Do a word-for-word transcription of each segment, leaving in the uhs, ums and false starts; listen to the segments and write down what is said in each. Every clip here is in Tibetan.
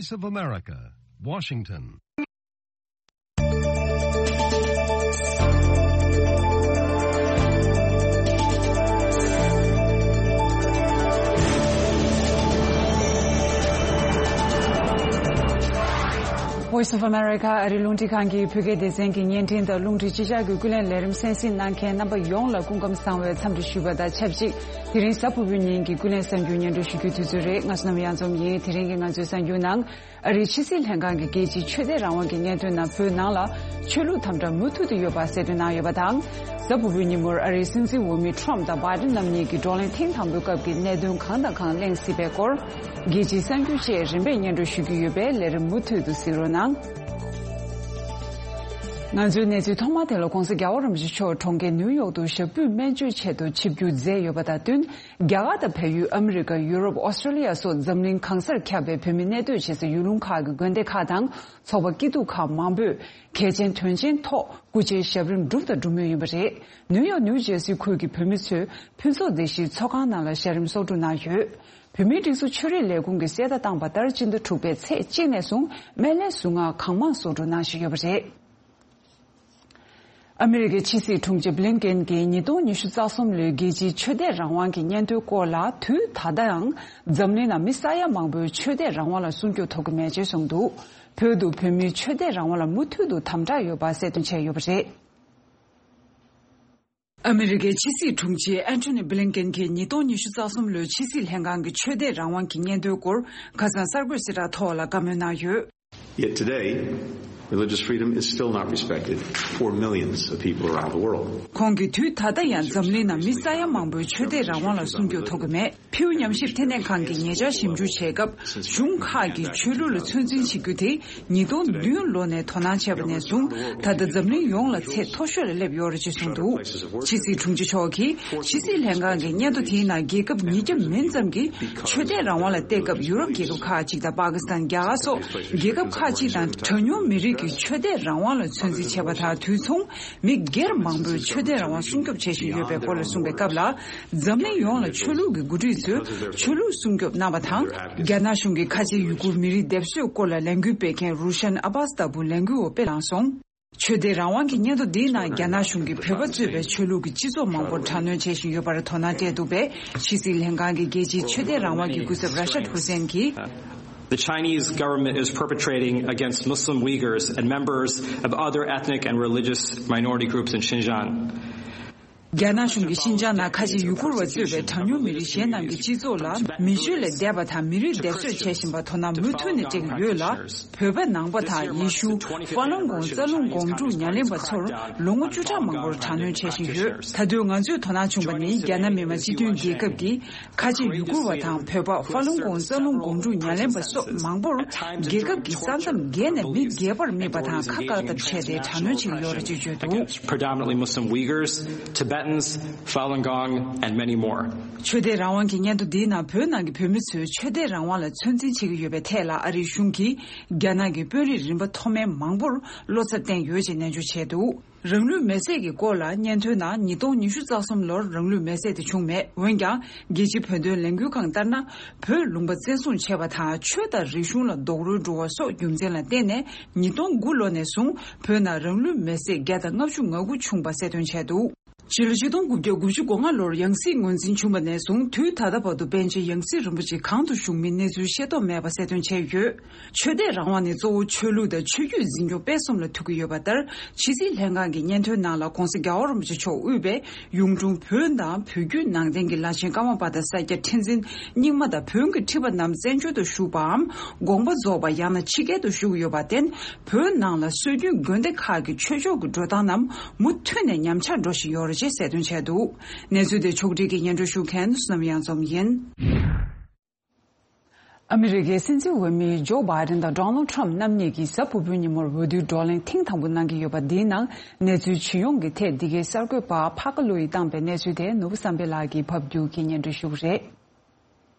Voice of America, Washington. Voice of America ཨ་རི་རླུང་འཕྲིན་ཁང་གི་བོད་སྐད་སྡེ་ཚན་གྱི་བརྙན་འཕྲིན་དང་རླུང་འཕྲིན་སྤྱི་ཁྱབ་ཀྱི་ཀུན་གླེང་ལས་རིམ་གསན་གཟིགས་གནང་མཁན་རྣམ་པ་ཡོངས་ལ་སྐུ་ཁམས་བཟང་བའི་འཚམས་འདྲི་ཞུ་བ་དང་ཆབས་ཅིག་དེ་རིང་གཟའ་ཕུར་བུའི་ཉིན་གྱི་ཀུན་གླེང་གསར་འགྱུར་སྙན་སྒྲོན་ཞུ་རྒྱུའི་དུས་ཚོད་རེད། ང་བསོད་ནམས་གཡང་འཛོམས་ཡིན། དེ་རིང་གི་ང་ཚོའི་གསར་འགྱུར་ནང་། ཨ་རིའི་ཕྱི་སྲིད་ལྷན་ཁང་གི་རྒྱལ་སྤྱིའི་ཆོས་དད་རང་དབང་གི་སྙན་ཐོའི་ནང་བོད་ནང་ལ་ཆོས་ལུགས་དམ་དྲག་མུ་མཐུད་དུ་ཡོད་པ་གསལ་སྟོན་གནང་ཡོད་པ་དང་། གཟའ་ཕུར་བུའི་ཉིན་མོར་ཨ་རིའི་སྲིད་འཛིན་འོས་མི་ཁྲོམ་དང་བྷའི་ཌེན་རྣམ་གཉིས་ཀྱི་བགྲོ་གླེང་ཐེངས་དང་པོའི་སྐབས་ཀྱི་གནད་དོན་གང་དང་གང་གླེང་སྲིད་པའི་སྐོར། རྒྱལ་སྤྱིའི་གསར་འགྱུར་བཅས་རིམ་པས་སྙན་སྒྲོན་ཞུ་རྒྱུ་ཡོད་པས་ལས་རིམ་མུ་མཐུད་དུ་གཟིགས་རོགས་གནང་། ང་ཚོའི་གནས་ཚུལ་ཐོག་མ་དེ་ལ་༧གོང་ས་༧རྒྱལ་བ་རིན་པོ་ཆེ་མཆོག་གྲོང་ཁྱེར་ནིའུ་ཡོག་ཏུ་ཞབས་པུས་སྨན་བཅོས་ཆེད་དུ་ཆིབས་བསྒྱུར་མཛད་ཡོད་པ་དང་བསྟུན། རྒྱ་གར་དང་བལ་ཡུལ། ཨ་མི་རི་ཀ། ཡུ་རོབ། ཨོ་སི་ཀྲོ་ལི་ཡ་སོགས་འཛམ་གླིང་གང་སར་ཁྱབ་པའི་བོད་མི་གནས་སྡོད་བྱེད་ས་ཡུལ་ལུང་ཁག་གི་དགོན་སྡེ་ཁག་དང་ཚོགས་པ་སྐྱིད་སྡུག་ཁག་མང་པོས་གལ་ཆེན་དོན་ཆེན་ཐོག་སྐུ་ཕྱྭའི་ཞབས་རིམ་བསྒྲུབས་དང་སྒྲུབ་མུས་ཡིན་པ་རེད། ནིའུ་ཡོག་ནིའུ་ཇར་སི་ཁུལ་གྱི་བོད་མི་ཚོས་ཕུན་ཚོགས་སྡེ་བཞིའི་ཚོགས་ཁང་ནང་ལ་ཞལ་རིམ་གསོག་སྒྲུབ་གནང་ཡོད། བོད་མིའི་སྒྲིག་འཛུགས་ཆོས་རིག་ལས་ཁུངས་ཀྱིས་གསལ་བརྡ་བཏང་པ་ལྟར་སྤྱི་ཟླ་དྲུག་པའི་ཚེས་གཅིག་ནས་བཟུང་སྨན་བླའི་གཟུངས་སྔགས་གང་མང་གསོག་སྒྲུབ་གནང་བཞིན་ཡོད་པ་རེད། ཨ་མི་རི་ཀའི་ཕྱི་སྲིད་དྲུང་ཆེ་བྷི་ལིན་ཀེན་གྱིས་ཉིས་སྟོང་ཉི་ཤུ་རྩ་གསུམ་ལོའི་རྒྱལ་སྤྱིའི་ཆོས་དད་རང་དབང་གི་སྙན་ཐོའི་སྐོར་ལ། དུས་ད་ལྟའང་འཛམ་གླིང་ནང་མི་ས་ཡ་མང་པོས་ཆོས་དད་རང་དབང་ལ་སྲུང་སྐྱོབ་ཐོབ་ཀྱི་མེད་ཅེས་གསུངས་འདུག་བོད་དུ་བོད་མིའི་ཆོས་དད་རང་དབང་ལ་མུ་མཐུད་དུ་དམ་དྲག་ཡོད་པ་གསལ་སྟོན་བྱས་ཡོད་པ་རེད། ཨ་མི་རི་ཀའི་ཕྱི་སྲིད་དྲུང་ཆེ་ཨན་ཐོ་ནི་བྷི་ལིན་ཀེན་གྱིས་ཉིས་སྟོང་ཉི་ཤུ་རྩ་གསུམ་ལོའི་ཕྱི་སྲིད་ལྷན་ཁང་གི་ཆོས་དད་རང་དབང་གི་སྙན་ཐོའི་སྐོར་ཁ་སང་གསར་འགོད་གསལ་བསྒྲགས་ཐོག་ལ་བཀའ་མོལ་གནང་ཡོད། Yet today, religious freedom is still not respected for millions of people around the world. ཁོང་གིས་དུས་ད་ལྟ་ཡང་འཛམ་གླིང་ནང་མི་ས་ཡ་མང་པོའི་ཆོས་དད་རང་དབང་ལ་སྲུང་སྐྱོབ་ཐོབ་ཀྱི་མེད། ཕིའུ་ཉམས་ཞིབ་ལྟེ་གནས་ཁང་གིས་ཉེ་ཆར་ཞིབ་འཇུག་བྱས་སྐབས། གཞུང་ཁག་གིས་ཆོས་ལུགས་ལ་ཚོད་འཛིན་བྱེད་རྒྱུ་དེ་ཉིས་སྟོང་བདུན་ལོ་ནས་དོ་སྣང་བྱས་པ་ནས་བཟུང་། ད་ལྟ་འཛམ་གླིང་ཡོངས་ལ་ཚད་མཐོ་ཤོས་ལ་སླེབས་ཡོད་རེད་ཅེས་གསུངས་འདུག་ཕྱི་སྲིད་དྲུང་ཆེ་མཆོག་གིས་ཕྱི་སྲིད་ལྷན་ཁང་གི་སྙན་ཐོ་དེའི་ནང་རྒྱལ་ཁབ་ཉིས་བརྒྱ་མིན་ཙམ་གྱིས་ཆོས་དད་རང་དབང་ལ་བལྟས་སྐབས། ཡུ་རོབ་རྒྱལ་ཁབ་ཁག་ཅིག་དང་། པ་ཀི་སི་ཐན། རྒྱ་གར་སོགས་རྒྱལ་ཁབ་ཁག་ཅིག་དང་། གྲངས་ཉུང་མི་རིགས་ཀྱི་ཆོས་དད་རང་དབང་ལ་ཚོད་འཛིན་བྱས་པ་དང་དུས་མཚུངས། མི་སྒེར་མང་པོས་ཆོས་དད་རང་དབང་སྲུང་སྐྱོབ་བྱེད་བཞིན་ཡོད་པའི་སྐོར་ལ་གསུངས་པའི་སྐབས་ལ། འཛམ་གླིང་ཡོངས་ལ་ཆོས་ལུགས་ཀྱི་འགོ་ཁྲིད་ཚོས་ཆོས་ལུགས་སྲུང་སྐྱོབ་གནང་བ་དང་། རྒྱ་ནག་གཞུང་གིས་ཁ་ཆེ་ཡུ་གུར་མི་རིགས་སྡེབ་གསོད་སྐོར་ལ་ལས་འགུལ་སྤེལ་མཁན་རུ་ཤན་ཨ་བྷ་སི་ལྟ་བུ་ལས་འགུལ་བ་དཔེ་བླངས་སོང་། ཆོས་དད་རང་དབང་གི་སྙན་ཐོ་འདིའི་ནང་རྒྱ་ནག་གཞུང་གིས་བོད་པ་གཙོས་པའི་ཆོས་ལུགས་ཀྱི་སྤྱི་ཚོགས་མང་པོར་དྲག་གནོན་བྱེད་བཞིན་ཡོད་པར་དོ་སྣང་སྤྲད་འདུག་པས། ཕྱི་སྲིད་ལྷན་ཁང་གི་རྒྱལ་སྤྱིའི་ཆོས་དད་རང་དབང་གི་སྐུ་ཚབ་ར་ཤད་ཧུ་སེན་གྱིས། The Chinese government is perpetrating against Muslim Uyghurs and members of other ethnic and religious minority groups in Xinjiang. རྒྱ་ནག་གཞུང་གིས་ཤིན་ཅང་ནང་ཁ་ཆེ་ཡུ་གུར་བ་གཙོས་པའི་གྲངས་ཉུང་མི་རིགས་གཞན་རྣམས་ཀྱི་སྤྱི་ཚོགས་ལ་མི་སྤྱོད་ལས་འདས་པ་དང་མི་རིགས་སྡེབ་གསོད་བྱེད་བཞིན་པར་དོ་སྣང་མུ་མཐུད་ནས་སྤྲད་ཀྱི་ཡོད་ལ། བོད་པ་ནང་པ་དང་ཡེ་ཤུ། ཧྥ་ལུན་གོང་རྩ་རླུང་སྒོམ་སྒྲུབ་ཉམས་ལེན་པ་ཚོར་ལོ་ངོ་བཅུ་ཕྲག་མང་པོར་དྲག་གནོན་བྱེད་བཞིན་ཡོད། ད་དུང་ང་ཚོས་དོ་སྣང་བྱུང་བ་ནི། རྒྱ་ནག་མི་དམངས་སྤྱི་མཐུན་རྒྱལ་ཁབ་ཀྱིས་ཁ་ཆེ་ཡུ་གུར་བ་དང་བོད་པ། ཧྥ་ལུན་གོང་རྩ་རླུང་སྒོམ་སྒྲུབ་ཉམས་ལེན་པ་སོགས་མང་པོར་རྒྱལ་ཁབ་ཀྱི་ས་མཚམས་བརྒལ་ནས་མི་སྒེར་པར་དམིགས་པ་དང་ཁ་བཀག་ཐབས་བྱས་ཏེ་དྲག་གནོན་བྱེད་ཀྱི་ཡོད་རེད་ཅེས་བརྗོད་འདུག Predominantly Muslim Uyghurs, Tibetans, Falun Gong, and many more. ཆོས་དད་རང་དབང་གི་སྙན་ཐོ་འདིའི་ནང་བོད་ནང་གི་བོད་མི་ཚོས་ཆོས་དད་རང་དབང་ལ་ཚོད་འཛིན་བྱེད་ཀྱི་ཡོད་པའི་ཐད་ལ་ཨ་རིའི་གཞུང་གིས་རྒྱ་ནག་གི་དཔོན་རིགས་རིམ་པ་མཐོ་དམན་མང་པོར་བློ་འཚབ་བསྟན་ཡོད་ཅེས་ནན་བརྗོད་བྱས་འདུག་རང་ལུས་མེར་སྲེག་གི་སྐོར་ལ་སྙན་ཐོའི་ནང་ཉིས་སྟོང་ཉི་ཤུ་རྩ་གསུམ་ལོར་རང་ལུས་མེར་སྲེག་དེ་བྱུང་མེད། འོན་ཀྱང་རྒྱལ་སྤྱིའི་བོད་དོན་ལས་འགུལ་ཁང་ལྟར་ན། བོད་ལུང་པ་བཙན་བཟུང་བྱས་པ་དང་ཆོས་དང་རིག་གཞུང་ལ་རྡོག་རོལ་འགྲོ་བ་སོགས་རྒྱུ་མཚན་ལ་བརྟེན་ནས་ཉིས་སྟོང་དགུ་ལོ་ནས་བཟུང་བོད་ནང་རང་ལུས་མེར་སྲེག་བརྒྱ་དང་ལྔ་བཅུ་ང་དགུ་བྱུང་བ་གསལ་སྟོན་བྱས་འདུག་ཕྱི་ལོ་ཆིག་སྟོང་དགུ་བརྒྱ་དགུ་བཅུ་གོ་ལྔ་ལོར་ཡང་སྲིད་ངོས་འཛིན་བྱུང་བ་ནས་བཟུང་དུས་ད་ལྟ་བར་དུ་པཎ་ཆེན་ཡང་སྲིད་རིན་པོ་ཆེ་གང་དུ་བཞུགས་མིན་གནས་ཚུལ་ཤེས་རྟོགས་མེད་པ་གསལ་སྟོན་བྱས་ཡོད། ཆོས་དད་རང་དབང་ནི་གཙོ་བོ་ཆོས་ལུགས་དང་ཆོས་བརྒྱུད་འཛིན་སྐྱོང་སྤེལ་གསུམ་ལ་ཐུག་གི་ཡོད་པ་ལྟར། ཕྱི་སྲིད་ལྷན་ཁང་གི་སྙན་ཐོའི་ནང་ལ་༧གོང་ས་༧རྒྱལ་བ་རིན་པོ་ཆེ་མཆོག་དབུས་པའི་གཡུང་དྲུང་བོན་དང་བོད་བརྒྱུད་ནང་བསྟན་གྱི་བླ་ཆེན་ཀརྨ་པ་དང་ས་སྐྱ་ཁྲི་འཛིན་རྙིང་མ་དང་བོན་གྱི་ཁྲི་པ་རྣམས་བཙན་བྱོལ་དུ་བཞུགས་པའམ་དགོངས་པ་རྫོགས་པ་ཡང་ན་ཕྱི་རྒྱལ་དུ་བཞུགས་ཡོད་པར་བརྟེན། བོད་ནང་ལ་སྲོལ་རྒྱུན་དགོན་སྡེ་ཁག་གི་ཆོས་ཕྱོགས་ཀྱི་འགྲོ་སྟངས་རྣམས་མུ་མཐུད་ནས་ཉམས་ཆག་འགྲོ་བཞིན་ཡོད་རེད་ཅེས་གསལ་སྟོན་བྱས་འདུག་གནས་ཚུལ་དེ་ཕྱོགས་སྒྲིག་གིས་སྙན་སྒྲོན་ཞུ་མཁན་བསོད་ནམས་གཡང་འཛོམས་ཡིན། ཨ་མི་རི་ཀའི་སྲིད་འཛིན་འོས་མི་ཇོ་བྷའི་ཌེན་དང་ཌོ་ནལ་ཊམ་རྣམ་གཉིས་ཀྱིས་གཟའ་ཕུར་བུའི་ཉིན་མོར་འོས་བསྡུའི་བགྲོ་གླེང་ཐེངས་དང་པོ་གནང་གི་ཡོད་པ་འདིའི་ནང་གནས་ཚུལ་ཇི་ཡོང་གི་ཐད་འདི་གའི་གསར་འགོད་པ་ཕ་ཀ་ལོ་ཡིས་བཏང་པའི་གནས་ཚུལ་དེ་ནོར་བུ་བསམ་འཕེལ་ལགས་ཀྱིས་ཕབ་སྒྱུར་གྱིས་སྙན་སྒྲོན་ཞུ་གི་རེད།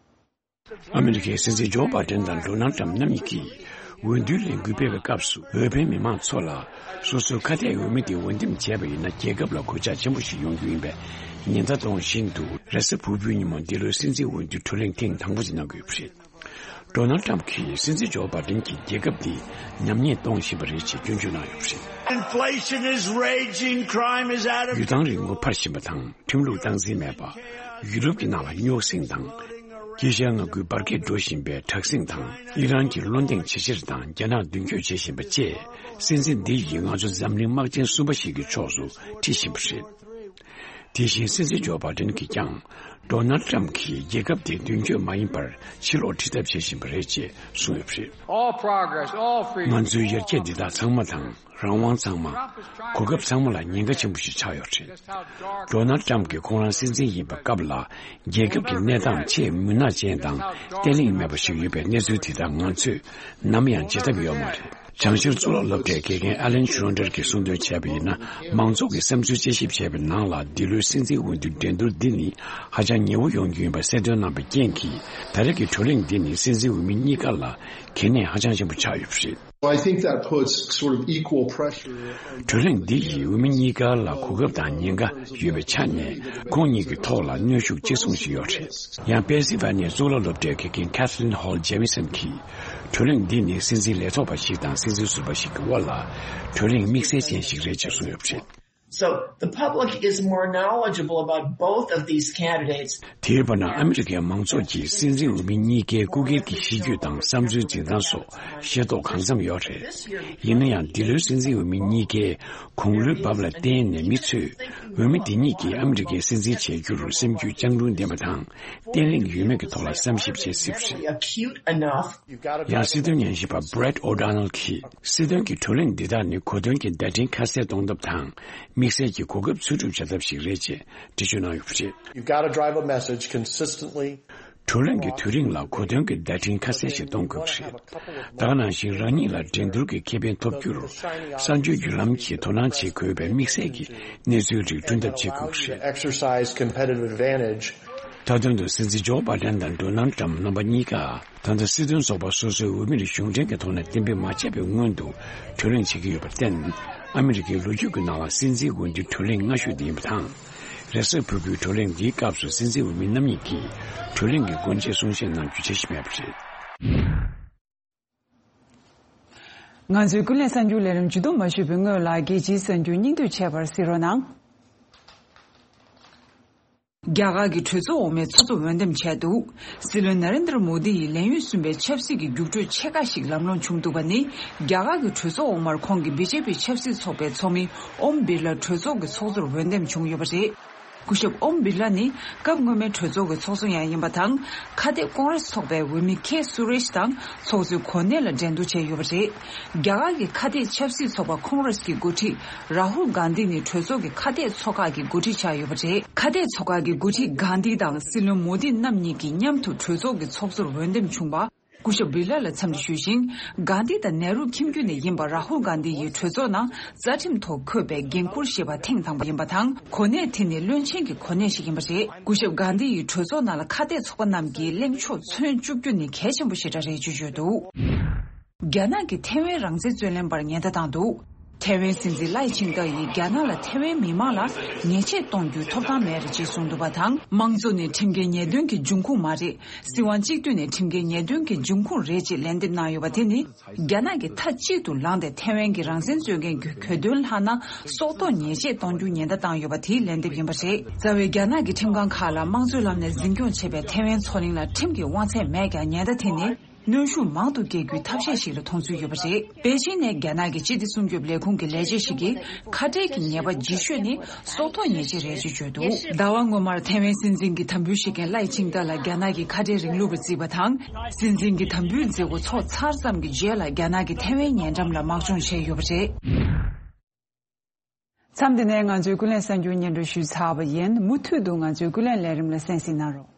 ཨ་མི་རི་ཀའི་སྲིད་འཛིན་ཇོ་བྷའི་ཌེན་དང་ཌོ་ནལ་ཊམ་རྣམ་གཉིས་ཀྱིས་འོས་བསྡུའི་ལས་འགུལ་སྤེལ་བའི་སྐབས་སུ་འོས་འཕེན་མི་མང་ཚོ་ལ་སོ་སོའི་ཁ་གཏད་འོས་མི་དེ་འོས་འདེམས་བྱས་པ་ཡིན་ན་རྒྱལ་ཁབ་ལ་གོད་ཆག་ཆེན་པོ་ཞིག་ཡོང་རྒྱུ་ཡིན་པས། ཉེན་བརྡ་གཏོང་བཞིན་དུ་རེས་གཟའ་ཕུར་བུའི་ཉིན་མོ་འདི་ལོའི་སྲིད་འཛིན་འོས་བསྡུའི་བགྲོ་གླེང་ཐེངས་དང་པོ་ཞིག་གནང་དགོས་པ་རེད། ཌོ་ནལ་ཌི་ཊམ་ཕི་གྱིས་སྲིད་འཛིན་ཇོ་བྷའི་ཌེན་གྱིས་རྒྱལ་ཁབ་འདི་ཉམས་ཉེས་གཏོང་བཞིན་པ་རེད་ཅེས་སྐྱོན་བརྗོད་གནང་ཡོད་པ་རེད། Inflation is raging, crime is out of གཡུ་ཐང་རིན་གོང་འཕར་བཞིན་པ་དང་ཁྲིམས་ལུགས་སྟངས་འཛིན་མེད་པ། ཡུ་རོབ་ཀྱི་ནང་ལ་རྙོག་ཟིང་དང་། དཀྱིལ་ཤར་མངའ་ཁུལ་འབར་གས་འགྲོ་བཞིན་པའི་དྲག་ཟིང་དང་། ཨི་རན་གྱི་བློ་གདེང་ཇེ་ཆེར་དང་རྒྱ་ནག་མདུན་སྐྱོད་བྱེད་བཞིན་པ་བཅས། སྲིད་འཛིན་འདི་ཡིས་ང་ཚོ་འཛམ་གླིང་དམག་ཆེན་གསུམ་པ་ཞིག་གི་ཕྱོགས་སུ་ཁྲིད་བཞིན་པ་རེད། དེ་བཞིན་སྲིད་འཛིན་ཇོ་བྷའི་ཌེན་གྱིས་ཀྱང་། ཌོ་ནལ་ཌི་ཊམ་ཕི་གྱིས་རྒྱལ་ཁབ་དེ་མདུན་སྐྱོད་མ་ཡིན་པར་ཕྱིར་ལོག་ཁྲིད་ཐབས་བྱེད་བཞིན་པ་རེད་ཅེས་གསུངས་ཡོད་པ་རེད། All progress, all freedom. ང་ཚོའི་ཡར་རྒྱས་འདི་དག་ཚང་མ་དང་། རང་དབང་ཚང་མ། གོ་སྐབས་ཚང་མ་ལ་ཉེན་ཁ་ཆེན་པོ་ཞིག་ཆགས་ཡོད་རེད། ཌོ་ནལ་ཌི་ཊམ་ཕི་ཁོང་རང་སྲིད་འཛིན་ཡིན་པའི་སྐབས་ལ། རྒྱལ་ཁབ་ཀྱི་གནས་སྟངས་ཆེས་མུན་ནག་ཅན་དང་བརྟན་ལྷིང་མེད་པ་ཞིག་ཡོད་པའི་གནས་ཚུལ་དེ་དག་ང་ཚོས་ནམ་ཡང་བརྗེད་ཐབས་ཡོད་མ་རེད། བྱང་ཤར་གཙུག་ལག་སློབ་གྲྭའི་དགེ་རྒན་ཨ་ལན་ཤོན་ཌར་གྱིས་གསུངས་དོན་བྱས་པ་ཡིན་ན། མང་ཚོགས་ཀྱིས་བསམ་ཚུལ་དཔྱད་ཞིབ་བྱས་པའི་ནང་ལ། འདི་ལོའི་སྲིད་འཛིན་འོས་བསྡུའི་འགྲན་བསྡུར་འདི་ནི་ཧ་ཅང་ཉེ་བོ་ཡོང་རྒྱུ་ཡིན་པ་གསལ་སྟོན་གནང་བའི་རྐྱེན་གྱིས། ད་རེས་ཀྱི་བགྲོ་གླེང་འདི་ནི་སྲིད་འཛིན་འོས་མི་གཉིས་ཀ་ལ་གལ་གནད་ཧ་ཅང་ཆེན་པོ་ཆགས་ཡོད་པ་རེད། Well, I think that puts sort of equal pressure on བགྲོ་གླེང་འདི་ཡིས་འོས་མི་གཉིས་ཀ་ལ་གོ་སྐབས་དང་ཉེན་ཁ་ཡོད་པའི་ཆ་ནས། ཁོང་གཉིས་ཀྱི་ཐོག་ལ་གནོན་ཤུགས་གཅིག་མཚུངས་ཤིག་ཡོད་རེད། ཡང་པེན་སིལ་ཝ་ནི་ཡའི་གཙུག་ལག་སློབ་གྲྭའི་དགེ་རྒན་Kathleen Hall Jamieson གྱིས། བགྲོ་གླེང་འདི་ནི་སྲིད་འཛིན་ལས་ཐོག་པ་ཞིག་དང་སྲིད་འཛིན་ཟུར་པ་ཞིག་གི་དབར་ལ་བགྲོ་གླེང་དམིགས་བསལ་ཅན་ཞིག་རེད་ཅེས་གསུངས་ཡོད་པ་རེད། So, the public is more knowledgeable about both of these candidates. དེའི་བར་ན་ཨ་མི་རི་ཀའི་མང་ཚོགས་ཀྱིས་སྲིད་འཛིན་འོས་མི་གཉིས་ཀའི་སྐུ་སྒེར་གྱི་གཤིས་རྒྱུད་དང་བསམ་ཚུལ་འཛིན་སྟངས་སོགས་ཤེས་རྟོགས་གང་འཚམ་ཡོད་རེད། ཡིན་ན་ཡང་། འདི་ལོའི་སྲིད་འཛིན་འོས་མི་གཉིས་ཀའི་དགུང་ལོའི་བབ་ལ་བརྟེན་ནས། མི་ཚོས་འོས་མི་འདི་གཉིས་ཀྱིས་ཨ་མི་རི་ཀའི་སྲིད་འཛིན་བྱེད་རྒྱུར་སེམས་རྒྱུད་སྤྱང་གྲུང་ལྡན་པ་དང་བརྟན་ལྷིང་ཡོད་མེད་ཀྱི་ཐོག་ལ་བསམ་ཞིབ་བྱེད་སྲིད་པ་རེད། Acute enough. ཡང་སྲིད་དོན་ཉན་ཞིབ་པ་Brett O'Donnell གྱིས། སྲིད་དོན་གྱི་བགྲོ་གླེང་འདི་དག་ནི་གོ་དོན་གྱི་བརྡ་འཕྲིན་ཁ་གསལ་གཏོང་ཐབས་དང་། དམིགས་བསལ་གྱི་གོ་སྐབས་འཚོལ་སྒྲུབ་བྱ་ཐབས་ཤིག་རེད་ཅེས་འགྲེལ་བརྗོད་གནང་ཡོད་པ་རེད། You've got to drive a message consistently. བགྲོ་གླེང་གི་དུས་རིང་ལ་གོ་དོན་གྱི་བརྡ་འཕྲིན་ཁ་གསལ་ཞིག་གཏོང་དགོས་པ་རེད། ད་ག་ནང་བཞིན། རང་ཉིད་ལ་འགྲན་བསྡུར་གྱི་ཁེ་ཕན་ཐོབ་རྒྱུར་གསར་འགྱུར་བརྒྱུད་ལམ་གྱིས་དོ་སྣང་བྱེད་དགོས་པའི་དམིགས་བསལ་གྱི་གནས་ཚུལ་རིགས་བསྐྲུན་ཐབས་བྱེད་དགོས་པ་རེད། Exercise competitive advantage. མཐའ་དོན་དུ་སྲིད་འཛིན་ཇོ་བྷའི་ཌེན་དང་ཌོ་ནལ་ཌི་ཊམ་ཕི་རྣམ་པ་གཉིས་ཀ། ད་ལྟ་སྲིད་དོན་ཚོགས་པ་སོ་སོའི་འོས་མིར་གཞུང་འབྲེལ་གྱི་ཐོག་ནས་གཏན་འབེབས་མ་བྱས་པའི་སྔོན་དུ་བགྲོ་གླེང་བྱེད་ཀྱི་ཡོད་པར་བརྟེན། ཨ་མི་རི་ཀའི་ལོ་རྒྱུས་ཀྱི་ནང་ལ་སྲིད་འཛིན་འོས་བསྡུའི་བགྲོ་གླེང་སྔ་ཤོས་དེ་ཡིན་པ་དང་། རེས་གཟའ་ཕུར་བུའི་བགྲོ་གླེང་འདིའི་སྐབས་སུ་སྲིད་འཛིན་འོས་མི་རྣམ་གཉིས་ཀྱིས་བགྲོ་གླེང་གི་སྒོ་འབྱེད་གསུང་བཤད་གནང་རྒྱུ་བྱེད་བཞིན་མེད་པ་རེད། ང་ཚོའི་ཀུན་གླེང་གསར་འགྱུར་ལས་རིམ་མཇུག་བསྡོམས་མ་ཞུས་པའི་སྔོན་ལ། རྒྱལ་སྤྱིའི་གསར་འགྱུར་སྙིང་བསྡུས་བྱས་པར་གཟིགས་རོགས་གནང་། རྒྱ་གར་གྱི་གྲོས་ཚོགས་འོག་མའི་ཚོགས་གཙོ་འོས་འདེམས་བྱས་འདུག། སྲིད་བློན་ན་རེན་དར་མོ་དི་ཡིས་ལས་ཡུན་གསུམ་པའི་ཆབ་སྲིད་ཀྱི་རྒྱུགས་སྤྲོད་ཆེ་ཁག་ཞིག་ལམ་ལྷོང་བྱུང་འདུག་པ་ནི། རྒྱ་གར་གྱི་གྲོས་ཚོགས་འོག་མར་ཁོང་གིས་བི་ཇེ་པི་ཆབ་སྲིད་ཚོགས་པའི་ཚོགས་མི་ཨོམ་བིར་ལ་གྲོས་ཚོགས་ཀྱི་ཚོགས་གཙོར་འོས་འདེམས་བྱུང་ཡོད་པ་རེད། སྐུ་ཞབས་ཨོམ་བིར་ལ་ནི་སྐབས་སྔོན་མའི་གྲོས་ཚོགས་ཀྱི་ཚོགས་གཙོ་ཡང་ཡིན་པ་དང་། ཁ་གཏད་ཀོང་རེས་ཚོགས་པའི་འོས་མི་ཁེ་སུ་རེཤ་དང་ཚོགས་གཙོའི་གོ་གནས་ལ་འགྲན་བསྡུར་བྱས་ཡོད་པ་རེད། རྒྱ་གར་གྱི་ཁ་གཏད་ཆབ་སྲིད་ཚོགས་པ་ཁོང་རེས་ཀྱི་འགོ་ཁྲིད་རཱ་ཧུལ་གྷན་དྷི་ནི་གྲོས་ཚོགས་ཀྱི་ཁ་གཏད་ཚོགས་ཁག་གི་འགོ་ཁྲིད་ཆགས་ཡོད་པ་རེད། ཁ་གཏད་ཚོགས་ཁག་གི་འགོ་ཁྲིད་གྷན་དྷི་དང་སྲིད་བློན་མོ་དི་རྣམ་གཉིས་ཀྱིས་མཉམ་དུ་གྲོས་ཚོགས་ཀྱི་ཚོགས་གཙོར་འོས་འདེམས་བྱུང་བ། སྐུ་ཞབས་བི་ལ་ལ་འཚམས་འདྲི་ཞུས་ཤིང་། གྷན་དྷི་དང་ནེ་རུ་ཁྱིམ་རྒྱུད་ནས་ཡིན་པ་རཱ་ཧུལ་གྷན་དྷི་ཡིས་གྲོས་ཚོགས་ནང་རྩ་ཁྲིམས་ཐོག་འཁོད་པའི་འགན་འཁུར་བཞེས་པ་ཐེངས་དང་པོ་ཡིན་པ་དང་། གོ་གནས་དེ་ནི་བློན་ཆེན་གྱི་གོ་གནས་ཤིག་ཡིན་པ་རེད། སྐུ་ཞབས་གྷན་དྷི་ཡིས་གྲོས་ཚོགས་ནང་ལ་ཁ་གཏད་ཚོགས་པ་རྣམས་ཀྱིས་གླེང་ཕྱོགས་མཚོན་བཅུག་རྒྱུ་ནི་གལ་ཆེན་པོ་ཞེ་དྲག་རེད་ཅེས་བརྗོད་འདུག། རྒྱ་ནག་གིས་ཐེ་ཝན་རང་བཙན་རྩོད་ལེན་པར་ཉེན་བརྡ་བཏང་འདུག། ཐེ་ཝན་སྲིད་འཛིན་ལའེ་ཆིང་ཏེ་ཡིས་རྒྱ་ནག་ལ་ཐེ་ཝན་མི་མང་ལ་ཉེས་ཆད་གཏོང་རྒྱུའི་ཐོབ་ཐང་མེད་རེད་ཅེས་གསུངས་འདུག་པ་དང་། དམངས་གཙོ་ནི་ཁྲིམས་འགལ་ཉེས་དོན་གྱི་འབྱུང་ཁུངས་མ་རེད། སྲིད་དབང་གཅིག་སྡུད་ནི་ཁྲིམས་འགལ་ཉེས་དོན་གྱི་འབྱུང་ཁུངས་རེད་ཅེས་ལན་འདེབས་གནང་ཡོད་པ་དེ་ནི། རྒྱ་ནག་གིས་མཐའ་གཅིག་ཏུ་ལངས་ཏེ་ཐེ་ཝན་གྱི་རང་བཙན་རྩོད་མཁན་གྱི་གྱོད་དོན་ལྷག་ན་སྲོག་ཐོག་ཉེས་ཆད་གཏོང་རྒྱུའི་ཉེན་བརྡ་བཏང་ཡོད་པ་དེའི་ལན་འདེབས་ཡིན་པ་རེད། རྩ་བའི་རྒྱ་ནག་གི་ཁྲིམས་ཁང་ཁག་ལ་དམངས་གཙོའི་ལམ་ནས་འཛིན་སྐྱོང་བྱེད་པའི་ཐེ་ཝན་མཚོ་གླིང་ལ་ཁྲིམས་ཀྱི་དབང་ཚད་མེད་ཀྱང་ཉེན་བརྡ་དེ་ནི། གནོན་ཤུགས་མང་དུ་སྐྱེད་རྒྱུའི་ཐབས་ཤེས་ཤིག་ལ་མཐོང་ཚུལ་ཡོད་པ་རེད། པེ་ཅིན་ནས་རྒྱ་ནག་གི་སྤྱི་བདེ་སྲུང་སྐྱོབ་ལས་ཁུངས་ཀྱི་ལས་བྱེད་ཞིག་གིས་ཁ་བྲལ་གྱི་ཉེས་པ་ལྗིད་ཤོས་ནི་སྲོག་ཐོག་ཉེས་ཆད་རེད་ཅེས་བརྗོད་འདུག། ཟླ་བ་སྔོན་མར་ཐེ་ཝན་སྲིད་འཛིན་གྱི་དམ་འབུལ་བཞེས་མཁན་ལའེ་ཆིང་ཏེ་ལ་རྒྱ་ནག་གིས་ཁ་བྲལ་རིང་ལུགས་པ་བརྩིས་པ་དང་། སྲིད་འཛིན་གྱི་དམ་འབུལ་མཛད་སྒོ་ཚོགས་ཚར་ཙམ་གྱི་རྗེས་ལ་རྒྱ་ནག་གིས་ཐེ་ཝན་ཉེ་འགྲམ་ལ་དམག་སྦྱོང་བྱས་ཡོད་པ་རེད། མཚམས་འདི་ནས་ང་ཚོའི་ཀུན་གླེང་གསར་འགྱུར་སྙན་སྒྲོན་ཞུས་ཚར་བ་ཡིན། མུ་མཐུད་དུ་ང་ཚོའི་ཀུན་གླེང་ལས་རིམ་ལ་གསན་གཟིགས་གནང་རོགས།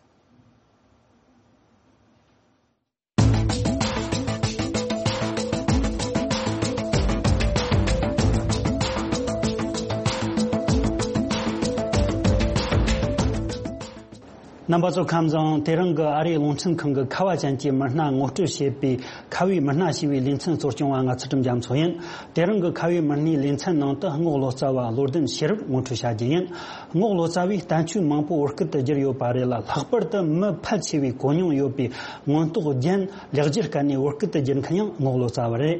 ན་ རྣམ་པ་ཚོ་ཁམས་བཟང་། དེ་རིང་གི་ཨ་རིའི་རླུང་འཕྲིན་ཁང་གི་ཁ་བ་ཅན་གྱི་མི་སྣ་ངོ་སྤྲོད་བྱེད་པའི་ཁ་བའི་མི་སྣ་ཞེས་པའི་ལེ་ཚན་གཙོ་སྐྱོང་བ་ང་ཚུལ་ཁྲིམས་རྒྱ་མཚོ་ཡིན། དེ་རིང་གི་ཁ་བའི་མི་སྣའི་ལེ་ཚན་ནང་དུ་རྔོག་ལོ་ཙཱ་བ་བློ་ལྡན་ཤེས་རབ་ངོ་སྤྲོད་བྱ་རྒྱུ་ཡིན། རྔོག་ལོ་ཙཱ་བས་བསྟན་བཅོས་མང་པོ་བོད་སྐད་དུ་བསྒྱུར་ཡོད་པ་རེད་ལ། ལྷག་པར་དུ་མི་ཕལ་ཆེ་བས་གོ་མྱོང་ཡོད་པའི་མངོན་རྟོགས་རྒྱན་ལེགས་སྒྱུར་སྐད་ནས་བོད་སྐད་དུ་བསྒྱུར་མཁན་ཡང་རྔོག་ལོ་ཙཱ་བ་རེད།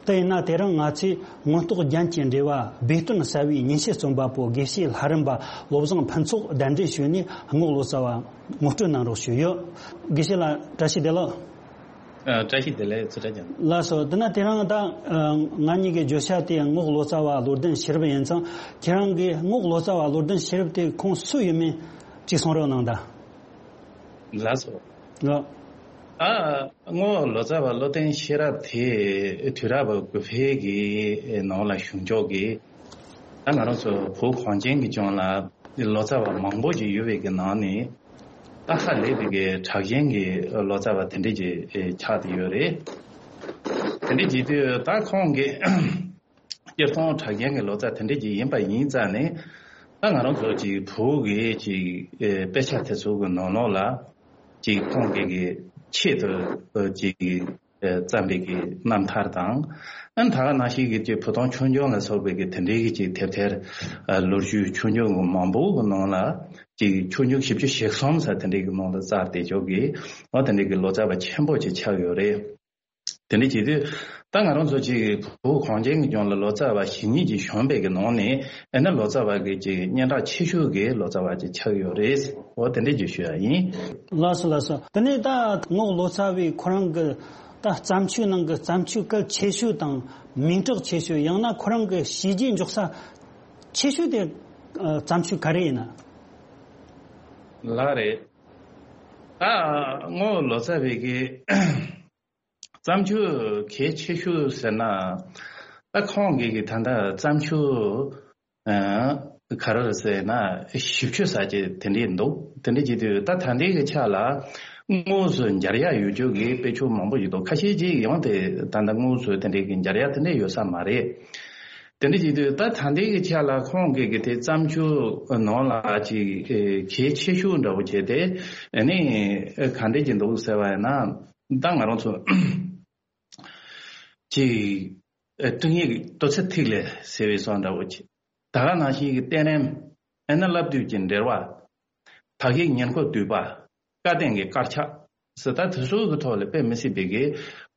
དེ་ཡིན་ན་དེ་རིང་ང་ཚོས་མངོན་རྟོགས་རྒྱན་གྱི་འགྲེལ་བ་སྦས་དོན་གསལ་བའི་ཉིན་བྱེད་རྩོམ་པ་པོ་དགེ་བཤེས་ལྷ་རམས་པ་བློ་བཟང་ཕུན་ཚོགས་གདན་འདྲེན་ཞུས་ནས་རྔོག་ལོ་ཙཱ་བ་ངོ་སྤྲོད་གནང་རོགས་ཞུས་ཡོད། དགེ་བཤེས་ལགས་བཀྲ་ཤིས་བདེ་ལེགས། ཨ། བཀྲ་ཤིས་བདེ་ལེགས། ཚུལ་ཁྲིམས་རྒྱ་མཚོ། ལགས་སོ། དེ་ན་དེ་རིང་ད་ཨ་ང་གཉིས་ཀྱི་བརྗོད་བྱ་དེ་རྔོག་ལོ་ཙཱ་བ་བློ་ལྡན་ཤེས་རབ་ཡིན་ཙང་། ཁྱེད་རང་གིས་རྔོག་ལོ་ཙཱ་བ་བློ་ལྡན་ཤེས་རབ་དེ་ཁོང་སུ་ཡིན་མིན་ཅིག་གསུང་རོགས་གནང་དང་། ལགས་སོ། ལགས། ཨ། རྔོག་ལོ་ཙཱ་བ་བློ་ལྡན་ཤེས་རབ་དེ་དུས་རབས་དགུ་པའི་གི་ནང་ལ་བྱུང་ཆོག་གི། ད་ང་རང་ཚོ་བོད་གངས་ཅན་གྱི་ལྗོངས་ལ་ལོ་ཙཱ་བ་མང་པོ་ཞིག་ཡོད་པའི་གི་ནང་ནས། ད་ཧ་ལས་པའི་གི་གྲགས་ཅན་གྱི་ལོ་ཙཱ་བ་དེ་འདྲས་ཀྱི་ཆགས་བསྡད་ཡོད་རེད། དེ་འདྲས་ཀྱི་དུས་ད་ཁོང་གི་སྤྱིར་བཏང་གྲགས་ཅན་གྱི་ལོ་ཙཱ་དེ་འདྲས་ཀྱི་ཡིན་པ་ཡིན་ཙང་ནས། ད་ང་རང་ཚོ་ཅིག་བོད་ཀྱི་ཅིག་དཔེ་ཆ་དེ་ཚོ་གི་ནང་ལོགས་ལ་ཅིག་ཁོང་གི་གི་ཆེད་དུ་ཅིག་བརྩམས་པའི་གི་རྣམ་ཐར་དང་། ཨ་ནི་ད་ག་ནང་བཞིན་གྱི་ཅིག་བོད་དོན་ཆོས་འབྱུང་ལ་སོགས་པའི་གི་དེ་འདྲའི་གི་ཅིག་དེབ་ཐེར་ལོ་རྒྱུས་ཆོས་འབྱུང་གི་མང་པོ་གི་ནང་ལ་ཅིག་ཆོས་འབྱུང་བཞི་བཅུ་ཞེ་གསུམ་ཟེར་དེ་འདྲའི་གི་ནང་ལ་བཙལ་བསྡད་ཆོག་གི། འོ་དེ་འདྲའི་གི་ལོ་ཙཱ་བ་ཆེན་པོ་ཅིག་ཆགས་ཡོད་རེད། དེ་འདྲ་བྱེད་དུས། ད་ང་རང་ཚོ་ཅིག་བོད་གངས་ཅན་གྱི་ལྗོངས་ལ་ལོ་ཙཱ་བ་ཞེ་གཉིས་ཀྱིས་བྱོན་པའི་གི་ནང་ནས་ཨེ་ན་ལོ་ཙཱ་བ་གི་ཅིག་སྙན་གྲགས་ཆེ་ཤོས་ཀྱི་ལོ་ཙཱ་བ་ཅིག་ཆགས་ཡོད་རེད། འོ་དེ་འདྲ་ཅིག་ཞུ་ཡ་ཡིན། ལགས་སོ་ལགས་སོ། དེ་ནས་ད་རྔོག་ལོ་ཙཱ་བས་ཁོ་རང་གི་ད་བརྩམས་ཆོས་ནང་གི་བརྩམས་ཆོས་གལ་ཆེ་ཤོས་དང་མིང་གྲགས་ཆེ་ཤོས། ཡང་ན་ཁོ་རང་གི་བྱས་རྗེས་འཇོག་ས་ཆེ་ཤོས་དེ་ཨ་བརྩམས་ཆོས་ག་རེ་ཡིན་ན། ལགས་རེད། ད་རྔོག་ལོ་ཙཱ་བའི་གི་བརྩམས་ཆོས་གལ་ཆེ་ཤོས་ཟེར་ན། ད་ཁོང་གིས་གི་ད་ལྟ་བརྩམས་ཆོས་ཨ་ག་རེ་རེད་ཟེར་ན་བཞི་བཅུ་ཙམ་ཅིག་དེ་འདྲས་འདུག། དེ་འདྲས་བྱེད་དུས་ད་ད་ལྟའི་གི་ཆ་ལ་དངོས་སུ་མཇལ་ཡག་ཡོད་རྒྱུ་གི་དཔེ་ཆ་མང་པོ་ཞིག་འདུག། ཁ་ཤས་ཅིག་ཡང་དེ་ད་ལྟ་དངོས་སུ་དེ་འདྲས་གི་མཇལ་ཡག་དེ་འདྲས་ཡོད་ས་མ་རེད། དེ་འདྲས་བྱེད་དུས་ད་ད་ལྟའི་གི་ཆ་ལ་ཁོང་གི་གི་དེ་བརྩམས་ཆོས་ནང་ལ་ཅིག་གལ་ཆེ་ཤོས་འདྲ་བོ་བྱས་ཏེ། ཨ་ནི་ག་འདྲས་ཀྱི་འདུག་ཟེར་བ་ཡིན་ན། ད་ང་རང་ཚོ་ཅིག་ཨ་སྤྲིང་ཡིག་རྡོ་རྩེ་ཐིག་ལེ་ཟེར་བའི་བཟོ་འདྲ་བོ་ཅིག། ད་ག་ནང་བཞིན་གྱི་བསྟན་རིམ། ཨ་ནི་བསླབ་བཏུས་ཀྱི་འགྲེལ་པ། དག་ཡིག་ཉེར་མཁོ་བསྡུས་པ། བཀའ་བསྟན་གྱི་དཀར་ཆག་ཟེར། ད་དེ་ཚོ་གི་ཐོག་ལ་དཔེ་མི་སྲིད་པའི་གི་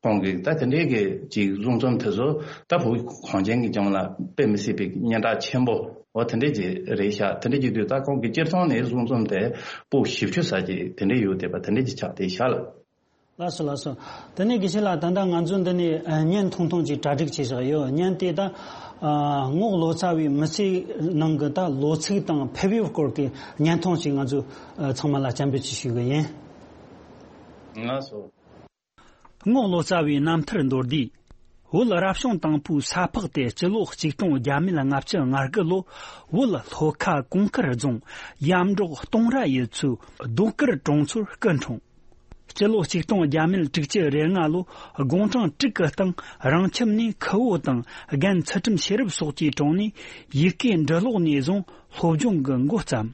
ཁོང་གི་ད་དེ་འདྲའི་གི་ཅིག་གསུང་རྩོམ་དེ་ཚོ་ད་བོད་གངས་ཅན་གྱི་ལྗོངས་ལ་དཔེ་མི་སྲིད་པའི་སྙན་གྲགས་ཆེན་པོ་འོ་དེ་འདྲའི་ཅིག་རེད་ཤག། དེ་འདྲའི་ཅིག་དུས་ད་ཁོང་གི་སྤྱིར་བཏང་ནས་གསུང་རྩོམ་དེ་པོ་བཞི་བཅུ་ཙམ་ཅིག་དེ་འདྲའི་ཡོད་བསྡད་པ་དེ་འདྲའི་ཅིག་ཆགས་བསྡད་ཤག་ལ། ལགས་སོ་ལགས་སོ། དེ་ནས་དགེ་བཤེས་ལགས། ད་ལྟ་ང་ཚོ་འདི་ནས་ཨ་བརྙན་ཐུང་ཐུང་ཅིག་གྲ་སྒྲིག་བྱས་བཞག་ཡོད། བརྙན་དེ་ད་ཨ་རྔོག་ལོ་ཙཱ་བའི་མི་ཚེའི་ནང་གི་ད་ལོ་ཚིགས་དང་ཕེབས་ཡུལ་སྐོར་གྱི་བརྙན་ཐུང་ཅིག་ང་ཚོ་ཨ་ཚང་མ་ལ་སྤྱན་འབུལ་ཅིག་ཞུ་གི་ཡིན། ལགས་སོ། རྔོག་ལོ་ཙཱ་བའི་རྣམ་ཐར་མདོར་བསྡུས། བོད་རབ་བྱུང་དང་པོའི་ས་ཕག་སྟེ་སྤྱི་ལོ་ཆིག་སྟོང་བརྒྱ་མེད་ལྔ་བཅུ་ང་དགུ་ལོ། བོད་ལྷོ་ཁ་གུང་དཀར་རྫོང་ཡམ་འབྲོག་སྟོང་ར་ཡུལ་ཚོའི་རྡོ་དཀར་གྲོང་ཚོར་སྐུ་འཁྲུངས། སྤྱི་ལོ་ཆིག་སྟོང་བརྒྱ་མེད་དྲུག་ཅུ་རེ་ལྔ་ལོ། དགུང་གྲངས་དྲུག་གི་སྟེང་རང་ཁྱིམ་ནས་ཁུ་བོ་དང་རྒན་ཚུལ་ཁྲིམས་ཤེས་རབ་སོགས་ཀྱི་དྲུང་ནས་ཡི་གེ་འབྲི་ཀློག་ནས་བཟུང་སློབ་སྦྱོང་གི་འགོ་བརྩམས།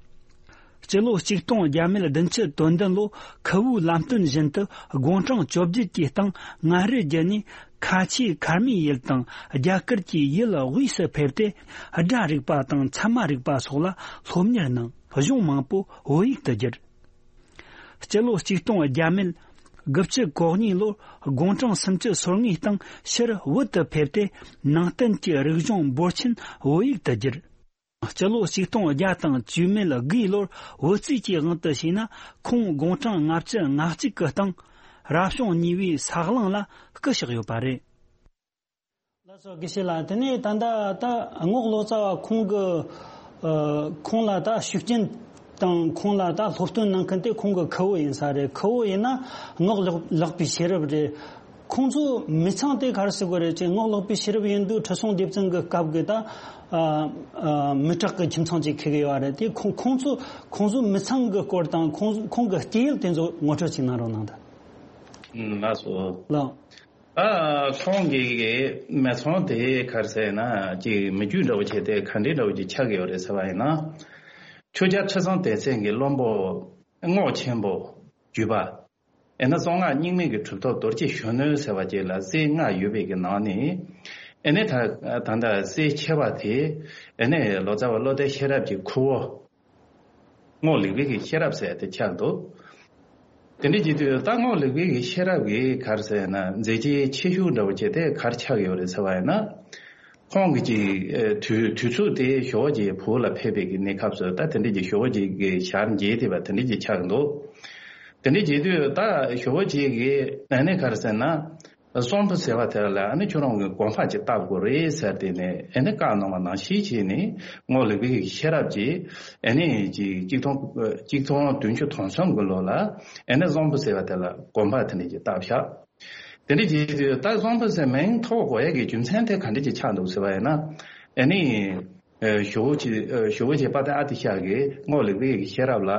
སྤྱི་ལོ་ཆིག་སྟོང་བརྒྱ་མེད་བདུན་ཅུ་དོན་བདུན་ལོ། ཁུ་བོའི་ལམ་སྟོན་བཞིན་དུ་དགུང་གྲངས་བཅོ་བརྒྱད་ཀྱི་སྟེང་མངའ་རིས་བརྒྱུད་ནས་ཁ་ཆེ་མཁར་རྨེའི་ཡུལ་དང་རྒྱ་གར་གྱི་ཡུལ་དབུས་སུ་ཕེབས་ཏེ། སྒྲ་རིག་པ་དང་ཚད་མ་རིག་པ་སོགས་ལ་སློབ་གཉེར་གནང་། གཞུང་མང་པོ་བོད་ཡིག་ཏུ་བསྒྱུར། སྤྱི་ལོ་ཆིག་སྟོང་བརྒྱ་མེད་དགུ་བཅུ་གོ་གཉིས་ལོར་དགུང་གྲངས་སུམ་ཅུ་སོ་ལྔའི་སྟེང་ཕྱིར་བོད་དུ་ཕེབས་ཏེ། ནང་བསྟན་གྱི་རིག་གཞུང་འབོར་ཆེན་བོད་ཡིག་ཏུ་བསྒྱུར། སྤྱི་ལོ་ཆིག་སྟོང་བརྒྱ་དང་བཅུ་མེད་དགུའི་ལོར་བོད་རྩིས་ཀྱི་དབང་དུ་བྱས་ན། ཁོང་དགུང་གྲངས་ལྔ་བཅུ་ང་གཅིག་གི་སྟེང་རབ་བྱུང་གཉིས་པའི་ས་གླང་ལ་སྐུ་གཤེགས་ཡོད་པ་རེད། ལགས་སོ། དགེ་བཤེས་ལགས། དེ་ནས་ད་ལྟ་ད་རྔོག་ལོ་ཙཱ་བ་ཁོང་གི་ཨ་ཁོང་ལ་ད་ཤུགས་རྐྱེན་དང་ཁོང་ལ་ད་སློབ་སྟོན་གནང་མཁན་དེ་ཁོང་གི་ཁུ་བོ་ཡིན་ས་རེད། ཁུ་བོ་ཡིན་ན་རྔོག་ལགས་ལགས་པའི་ཤེས་རབ་རེད། ཁོང་ཚོ་མི་ཚང་དེ་ག་རེ་ཟེར་དགོས་རེད་ཅེ། རྔོག་ལགས་པའི་ཤེས་རབ་ཡིན་དུས་ཁྲི་སྲོང་ལྡེ་བཙན་གྱི་སྐབས་ཀྱི་ད་ཨ་ཨ་མི་དྲག་གི་ཁྱིམ་ཚང་ཅིག་འཁེལ་གི་ཡོད་རེད། དེ་ཁོང་ཁོང་ཚོ་ཁོང་ཚོའི་མི་ཚང་གི་སྐོར་དང་ཁོང་ཁོང་གི་སྐྱེས་ཡུལ་དེ་ཚོ་ངོ་སྤྲོད་ཅིག་གནང་རོགས་གནང་དང་། ལགས་སོ། ལགས། ཨ་ཁོང་གི་གི་མི་ཚང་དེ་ག་རེ་ཟེར་ན་ཅིག་མི་རྒྱུད་འདྲ་བོ་བྱས་ཏེ་ག་འདྲའི་འདྲ་བོ་ཅིག་ཆགས་ཀྱི་ཡོད་རེད་ཟེར་བ་ཡིན་ན། ཆོས་རྒྱལ་ཁྲི་སྲོང་ལྡེ་བཙན་གྱི་བློན་པོ་ རྔོག་ཆེན་པོ་བརྒྱུད་པ། ཨེ་ན་གསང་སྔགས་རྙིང་མའི་གི་གྲུབ་ཐོབ་རྡོ་རྗེ་གཞོན་ནུ་ཟེར་བ་ཅིག་ལ་སྲས་ལྔ་ཡོད་པའི་གི་ནང་ནས། ཨེ་ནས་ད་ད་ལྟ་སྲས་ཆེ་བ་དེ་ཨེ་ནས་ལོ་ཙཱ་བ་བློ་ལྡན་ཤེས་རབ་ཀྱི་ཁུ་བོ། རྔོག་ལེགས་པའི་གི་ཤེས་རབ་ཟེར་དེ་ཆགས་འདུག་དེ་འདྲ་བྱེད་དུས་ད་རྔོག་ལེགས་པའི་གི་ཤེས་རབ་ཀྱིས་ག་རེ་ཟེར་ན། མཛད་རྗེས་ཆེ་ཤོས་འདྲ་བོ་བྱས་ཏེ་ག་རེ་ཆགས་ཡོད་རེད་ཟེར་བ་ཡིན་ན། ཁོང་གི་ཅིག་ཨེ་དུས་དུས་ཚོད་དེ་ཞོགས་ཀྱི་བུ་ལ་ཕེབས་པའི་གི་གནས་སྐབས་སུ་ད་དེ་འདྲ་གྱི་ཞོགས་ཀྱི་གི་ཞལ་མཇལ་དེ་བ་དེ་འདྲ་གྱི་ཆགས་འདུག་དེ་འདྲ་བྱེད་དུས་ད་ཞོགས་ཀྱི་གི་ཨ་ནི་ག་རེ་ཟེར་ན། གསོན་པོ་ཟེར་བ་དེ་ལ་ཨ་ནི་ཁྱོད་རང་གི་དགོན་པ་ཅིག་བཏབ་དགོས་རེད་ཟེར་ཏེ་ནས་ཨ་ནི་བཀའ་གནང་བ་ནང་བཞིན་བྱས་ནས་རྔོག་ལེགས་པའི་གི་ཤེས་རབ་ཀྱིས་ཨ་ནི་ཅིག་གཅིག་སྟོང་གཅིག་སྟོང་བདུན་ཅུ་དོན་གསུམ་གི་ལོ་ལ་ཨ་ནི་གསོན་པོ་ཟེར་བ་དེ་ལ་དགོན་པ་དེ་འདྲ་ཅིག་བཏབ་ཤག་དེ་འདྲ་བྱེད་དུས་ད་གསོན་པོ་ཟེར་མིང་ཐོགས་དགོས་ཡ་གི་རྒྱུ་མཚན་དེ་ག་འདྲ་ཅིག་ཆགས་འདུག་ཟེར་བ་ཡིན་ན། ཨ་ནི། ཨེ་ཞོགས་ཀྱི་ཨེ་ཞོགས་ཀྱི་དཔལ་ལྡན་ཨ་ཏི་ཤ་གིས་རྔོག་ལེགས་པའི་གི་ཤེས་རབ་ལ།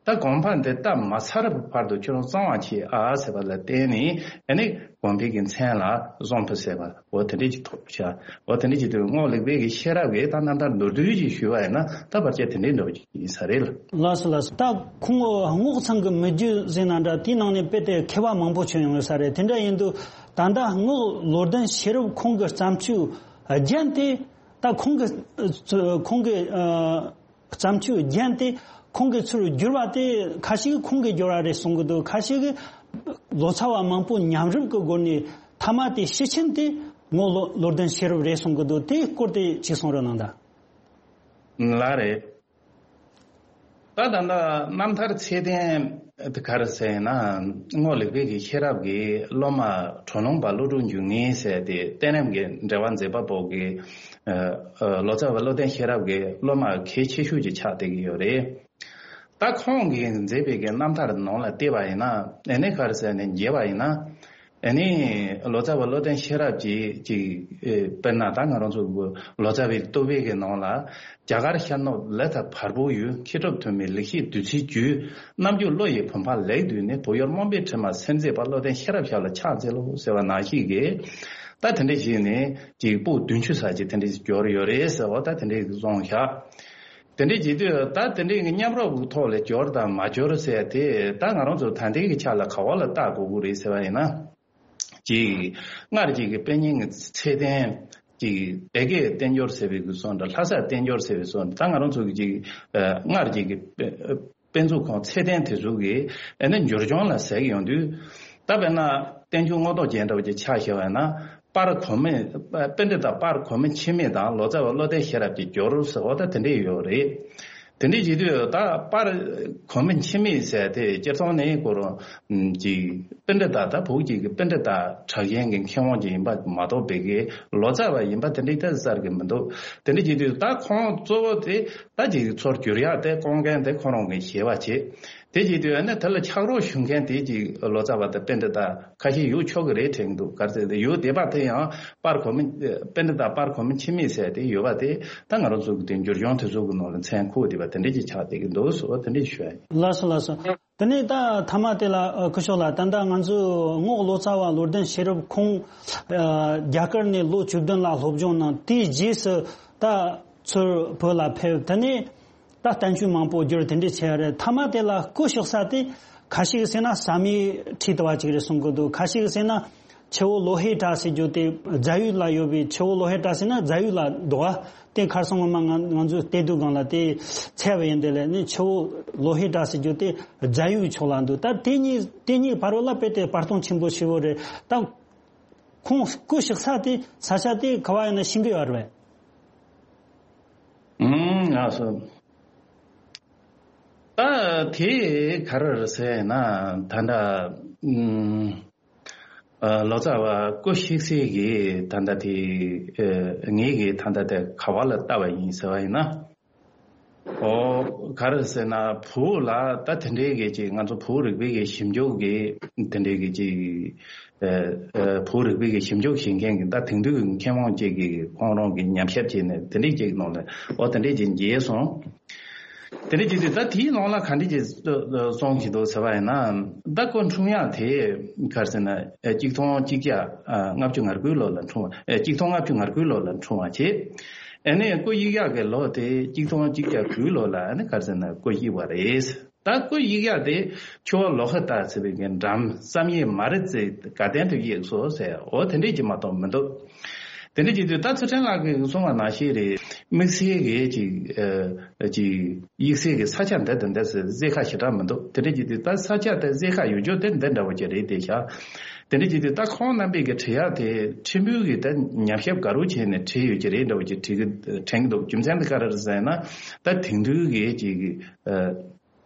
ད་དགོན་པ་འདི་བཏབ་མ་ཚར་བར་དུ་ཁྱོད་རང་གཙང་བ་བྱེད་ཨ་ཟེར་བ་ལ་བརྟེན་ནས་ཨ་ནི་དགོན་པའི་གི་མཚན་ལ་གསོན་པོ་ཟེར་བ་འོ་དེ་འདྲ་ཅིག་ཐོགས་ཤག་འོ་དེ་འདྲ་ཅིག་དུས་རྔོག་ལེགས་པའི་གི་ཤེས་རབ་ཀྱིས་ད་རྣམ་ཐར་མདོར་བསྡུས་ཅིག་ཞུས་པ་ཡིན་ན་ད་བར་ཆད་དེ་འདྲའི་འདྲ་བོ་ཅིག་ཡིན་ས་རེད་ལ། ལགས་སོ་ལགས་སོ། ད་ཁོང་རྔོག་ཚང་གི་མི་རྒྱུད་ཟེར་ན་འདྲ་དེའི་ནང་ནས་དཔེ་དེ་མཁས་པ་མང་པོ་བྱོན་ཡོང་ས་རེད། དེ་འདྲ་ཡིན་དུས་ད་ལྟ་རྔོག་བློ་ལྡན་ཤེས་རབ་ཁོང་གི་བརྩམས་ཆོས་རྒྱན་དེ་ད་ཁོང་གི་ཁོང་གི་བརྩམས་ཆོས་རྒྱན་དེ་ཁོང་གི་ཚུར་བསྒྱུར་བ་དེ་ཁ་ཤས་ཀྱིས་ཁོང་གིས་བསྒྱུར་བ་རེད་གསུང་གི་འདུག་ཁ་ཤས་ཀྱིས་ལོ་ཙཱ་བ་མང་པོ་མཉམ་རུབ་ཀྱི་སྒོ་ནས་མཐའ་མ་དེ་ཕྱི་ཆིངས་དེ་རྔོག་བློ་ལྡན་ཤེས་རབ་རེད་གསུང་གི་འདུག་དེའི་སྐོར་དེ་ཅིག་གསུང་རོགས་གནང་དང་། ལགས་རེད། ད་ད་ལྟ་རྣམ་ཐར་ཚད་ལྡན་དེ་ག་རེ་ཟེར་ན། རྔོག་ལེགས་པའི་གི་ཤེས་རབ་ཀྱི་སློབ་མ་གྲོ་ལུང་པ་ཀླུ་སྒྲུབ་འབྱུང་གནས་ཟེར་ཏེ་བསྟན་རབས་ཀྱི་འགྲེལ་པ་མཛད་པ་པོ་གི་ལོ་ཙཱ་བ་བློ་ལྡན་ཤེས་རབ་ཀྱི་སློབ་མ་གལ་ཆེ་ཤོས་ཅིག་ཆགས་བསྡད་ཀྱི་ཡོད་རེད། ད་ཁོང་གིས་མཛད་པའི་གི་རྣམ་ཐར་ནང་ལ་བལྟས་པ་ཡིན་ན་ཨ་ནི་ག་རེ་ཟེར་ནས་མཇལ་བ་ཡིན་ན། ཨ་ནི་ལོ་ཙཱ་བ་བློ་ལྡན་ཤེས་རབ་ཀྱིས་ཅིག་ཨེ་དཔེར་ན་ད་ང་རང་ཚོ་གི་ལོ་ཙཱ་བའི་བསྟོད་པའི་གི་ནང་ལ། རྒྱ་གར་ཤར་ནུབ་ལས་མཐའ་བར་དོའི་ཡུལ། མཁས་གྲུབ་ཐོན་མིའི་ལེགས་བཤད་བདུད་རྩིའི་རྒྱུད། རྣམ་འགྱུར་བློ་ཡི་བུམ་པ་ལེགས་བཏུས་ནས། བོད་ཡུལ་རྨོངས་པའི་དྲི་མ་སེལ་མཛད་པ། བློ་ལྡན་ཤེས་རབ་ཞབས་ལ་ཕྱག་འཚལ་ལོ་ཟེར་བ་ནང་བཞིན་གྱི། ད་དེ་འདྲ་བྱས་ནས་ཅིག་པོད་བདུན་ཅུ་ཙམ་ཅིག་དེ་འདྲ་ཞིག་འབྱོར་ཡོད་རེད་ཟེར་བ་ད་དེ་འདྲ་ཞིག་གསུངས་ཤག་དེ་འདྲ་བྱེད་དུས་ད་དེ་འདྲའི་མཉམ་རོགས་ཀྱི་ཐོག་ལ་འབྱོར་དང་མ་འབྱོར་ཟེར་དེ་ད་ང་རང་ཚོ་ད་ལྟའི་གི་ཆ་ལ་ག་བ་ལ་བལྟ་དགོས་ཀྱི་རེད་ཟེར་བ་ཡིན་ན། ཅིག་སྔར་གྱི་གི་དཔེ་རྙིང་གི་ཚད་ལྡན་ཅིག་སྡེ་དགེ་བསྟན་འབྱོར་ཟེར་བའི་གི་སོ་འདྲ། ལྷ་ས་བསྟན་འབྱོར་ཟེར་བའི་སོ་འདྲ། ད་ང་རང་ཚོ་གི་ཅིག་སྔར་གྱི་གི་དཔེ་དཔེ་མཛོད་ཁང་ཚད་ལྡན་དེ་ཚོ་གི་ཨ་ནི་འབྱོར་བྱུང་ལ་ཟེར་གི་ཡོང་དུས། ད་དཔེར་ན་བསྟན་འགྱུར་མངོན་རྟོགས་རྒྱན་འདྲ་བོ་ཅིག་ཆ་བཞག་པ་ཡིན་ན། པར་གོང་མའི་པཎྜི་ཏ་པར་གོང་མའི་འཆི་མེད་དང་ལོ་ཙཱ་བ་བློ་ལྡན་ཤེས་རབ་ཀྱི་འབྱོར་ཟེར་བ་ད་དེ་འདྲས་ཡོད་རེད། དེ་འདྲས་བྱེད་དུས་ད་པར་གོང་མའི་འཆི་མེད་ཟེར་དེ་སྤྱིར་བཏང་ནས་ཁོ་རང་གི་པཎྜི་ཏ་ད་བོད་ཀྱི་གི་པཎྜི་ཏ་གྲགས་ཅན་གྱི་མཁས་དབང་ཅིག་ཡིན་པ་མ་གཏོགས་པའི་གི་ལོ་ཙཱ་བ་ཡིན་པ་དེ་འདྲས་ད་གསལ་གི་མི་འདུག་དེ་འདྲས་བྱེད་དུས་ད་ཁོང་གཙོ་བོ་དེ་ད་ཅིག་ཚུར་བསྒྱུར་ཡག་དེ་སྐོང་མཁན་དེ་ཁོ་རང་གི་ཞེ་བ་བྱེད། དེ་བྱེད་དུས་ཨ་ནི་དེ་ལ་ཕྱག་རོགས་ཞུ་མཁན་དེ་ཅིག་ལོ་ཙཱ་བ་དང་པཎྜི་ཏ་ཁ་ཤས་ཡོད་ཆོག་གི་རེད་དྲན་འདུག་ག་རེ་ཟེར་ཏེ་ཡོད་བསྡད་པ་དེ་ཡང་པར་གོང་མའི་པཎྜི་ཏ་པར་གོང་མའི་འཆི་མེད་ཟེར་དེ་ཡོད་པ་དེ་ད་ང་རང་ཚོ་གི་དེ་འབྱོར་བྱུང་དེ་ཚོ་གི་ནང་ལ་མཚན་ཁུར་བསྡད་པ་དེ་འདྲ་ཅིག་ཆགས་བསྡད་ཀྱི་འདུག་ཟེར་བ་དེ་འདྲ་ཞུ་ཡ་ཡིན། ལགས་སོ་ལགས་སོ། དེ་ནས་ད་མཐའ་མ་དེ་ལ་ཨ་སྐུ་ཞབས་ལགས་ད་ལྟ་ང་ཚོས་རྔོག་ལོ་ཙཱ་བ་བློ་ལྡན་ཤེས་རབ་ཁོང་ཨ་རྒྱ་གར་ནས་ལོ་བཅུ་བདུན་ལ་སློབ་སྦྱོང་གནང་། དེའི་རྗེས་སུ་ད་ཚུར་བོད་ལ་ཕེབས། དེ་ནས་ད་བསྟན་བཅོས་མང་པོ་བསྒྱུར་དེ་འདྲས་བྱས་རེད། མཐའ་མ་དེ་ལ་སྐུ་གཤེགས་ས་དེ་ཁ་ཤས་ཀྱིས་ཟེར་ན་ཟམ་མེད་ཁྲིད་ལྟ་བུ་ཅིག་རེད་གསུང་གི་འདུག་ཁ་ཤས་ཀྱིས་ཟེར་ན་ཆུ་བོ་ལོ་ཧེ་བྲག་ཟེར་རྒྱུ་དེ་རྫ་ཡུལ་ལ་ཡོད་པའི་ཆུ་བོ་ལོ་ཧེ་བྲག་ཟེར་ན་རྫ་ཡུལ་ལ་འདུག་ཨ། དེ་ཁར་སང་སྔོན་མ་ང་ང་ཚོས་བལྟས་དུས་སྒང་ལ་དེ་འཚོལ་བ་ཡིན། དེ་ལས་ནི་ཆུ་བོ་ལོ་ཧེ་བྲག་ཟེར་རྒྱུ་དེ་རྫ་ཡུལ་ཕྱོགས་ལ་འདུག་ད་དེ་གཉིས་དེ་གཉིས་བར་བ་ལ་དཔེ་དེ་བར་སྟོང་ཆེན་པོ་ཞེ་པོ་རེད། ད་ཁོང་སྐུ་གཤེགས་ས་དེ་ས་ཆ་དེ་ག་བ་ཡིན་ན་ཤེས་ཀྱི་ཡོད་རེད་པས། ཨུམ། ང་སོ། ད་དེ་ག་རེ་རེད་ཟེར་ན་ད་ལྟ་ཨུམ། ཨ་ལོ་ཙཱ་བ་སྐུ་གཤེགས་སའི་གི་ད་ལྟ་དེ་ཨ་ངེད་ཀྱི་ད་ལྟ་དེ་ག་བ་ལ་ལྟ་བ་ཡིན་ཟེར་བ་ཡིན་ན། ཨོ་ག་རེ་ཟེར་ན་བོད་ལ་ད་དེ་འདྲའི་གི་ཅིག་ང་ཚོ་བོད་རིག་པའི་གི་ཞིབ་འཇུག་གི་དེ་འདྲའི་གི་ཅིག་ཨ་ཨ་བོད་རིག་པའི་གི་ཞིབ་འཇུག་བྱེད་མཁན་གི་ད་དེང་དུས་ཀྱི་མཁས་དབང་ཅིག་གི་ཁོང་རང་གི་ཉམས་ཞིབ་བྱས་ནས་དེ་འདྲའི་ཅིག་ནང་ལ་ཨོ་དེ་འདྲའི་ཅིག་མཇལ་སོང་། དེ་འདྲ་བྱེད་དུས་ད་དེའི་ནང་ལ་ག་འདྲ་ཅིག་གསུང་གི་འདུག་ཟེར་བ་ཡིན་ན། ད་སྐུ་འཁྲུངས་ཡག་དེ་ག་རེ་ཟེར་ན་ཨེ་གཅིག་སྟོང་གཅིག་བརྒྱ་ཨ་ལྔ་བཅུ་ང་དགུའི་ལོ་ལ་འཁྲུངས་པ། ཨེ་གཅིག་སྟོང་ལྔ་བཅུ་ང་དགུའི་ལོ་ལ་འཁྲུངས་པ་བྱས། ཨ་ནི་སྐུ་གཡུག་ཡག་གི་ལོ་དེ་གཅིག་སྟོང་གཅིག་བརྒྱ་དགུའི་ལོ་ལ་ཨ་ནི་ག་རེ་ཟེར་ན་སྐུ་གཡུག་པ་རེད། ད་སྐུ་གཡུག་ཡག་དེ་ཆུ་བོ་ལོ་ཁ་བཏགས་ཟེར་བའི་གི་འགྲམ་བསམ་ཡས་མ་རི་རྩེ་དགའ་ལྡན་དུ་གཡུགས་སོ་ཟེར། འོ་དེ་འདྲས་ཀྱི་མ་གཏོགས་མི་འདུག་དེ་འདྲས་ཀྱི་དུས་ད་ཚུལ་ཁྲིམས་ལགས་ཀྱིས་གསུངས་པ་ནང་བཞིན་རེད། དམིགས་བསལ་གྱི་ཅིག་ཨ་ཅིག་གཡུག་སའི་གི་ས་ཆ་འདི་དང་འདི་ཟེར་རྩེ་ཁ་ཞེ་དྲག་མི་འདུག་དེ་འདྲས་ཀྱི་དུས་ད་ས་ཆ་དེ་རྩེ་ཁ་ཡོད་རྒྱུ་དེ་འདི་འདྲ་བོ་ཅིག་རེད་དེ་ཤག་དེ་འདྲས་ཀྱི་དུས་ད་ཁོང་རྣམ་པས་གི་བྲིས་ཡག་དེ་ཁྲིམས་དཔོན་གྱིས་ད་ཉམས་ཞིབ་ག་རེ་བྱས་ནས་བྲིས་ཡོད་ཀྱི་རེད་འདྲ་བོ་ཅིག་བྲིས་གི་དྲན་གི་འདུག་རྒྱུ་མཚན་དེ་ག་རེ་རེད་ཟེར་ན། ད་དེང་དུས་ཀྱི་ཅིག་ཨ།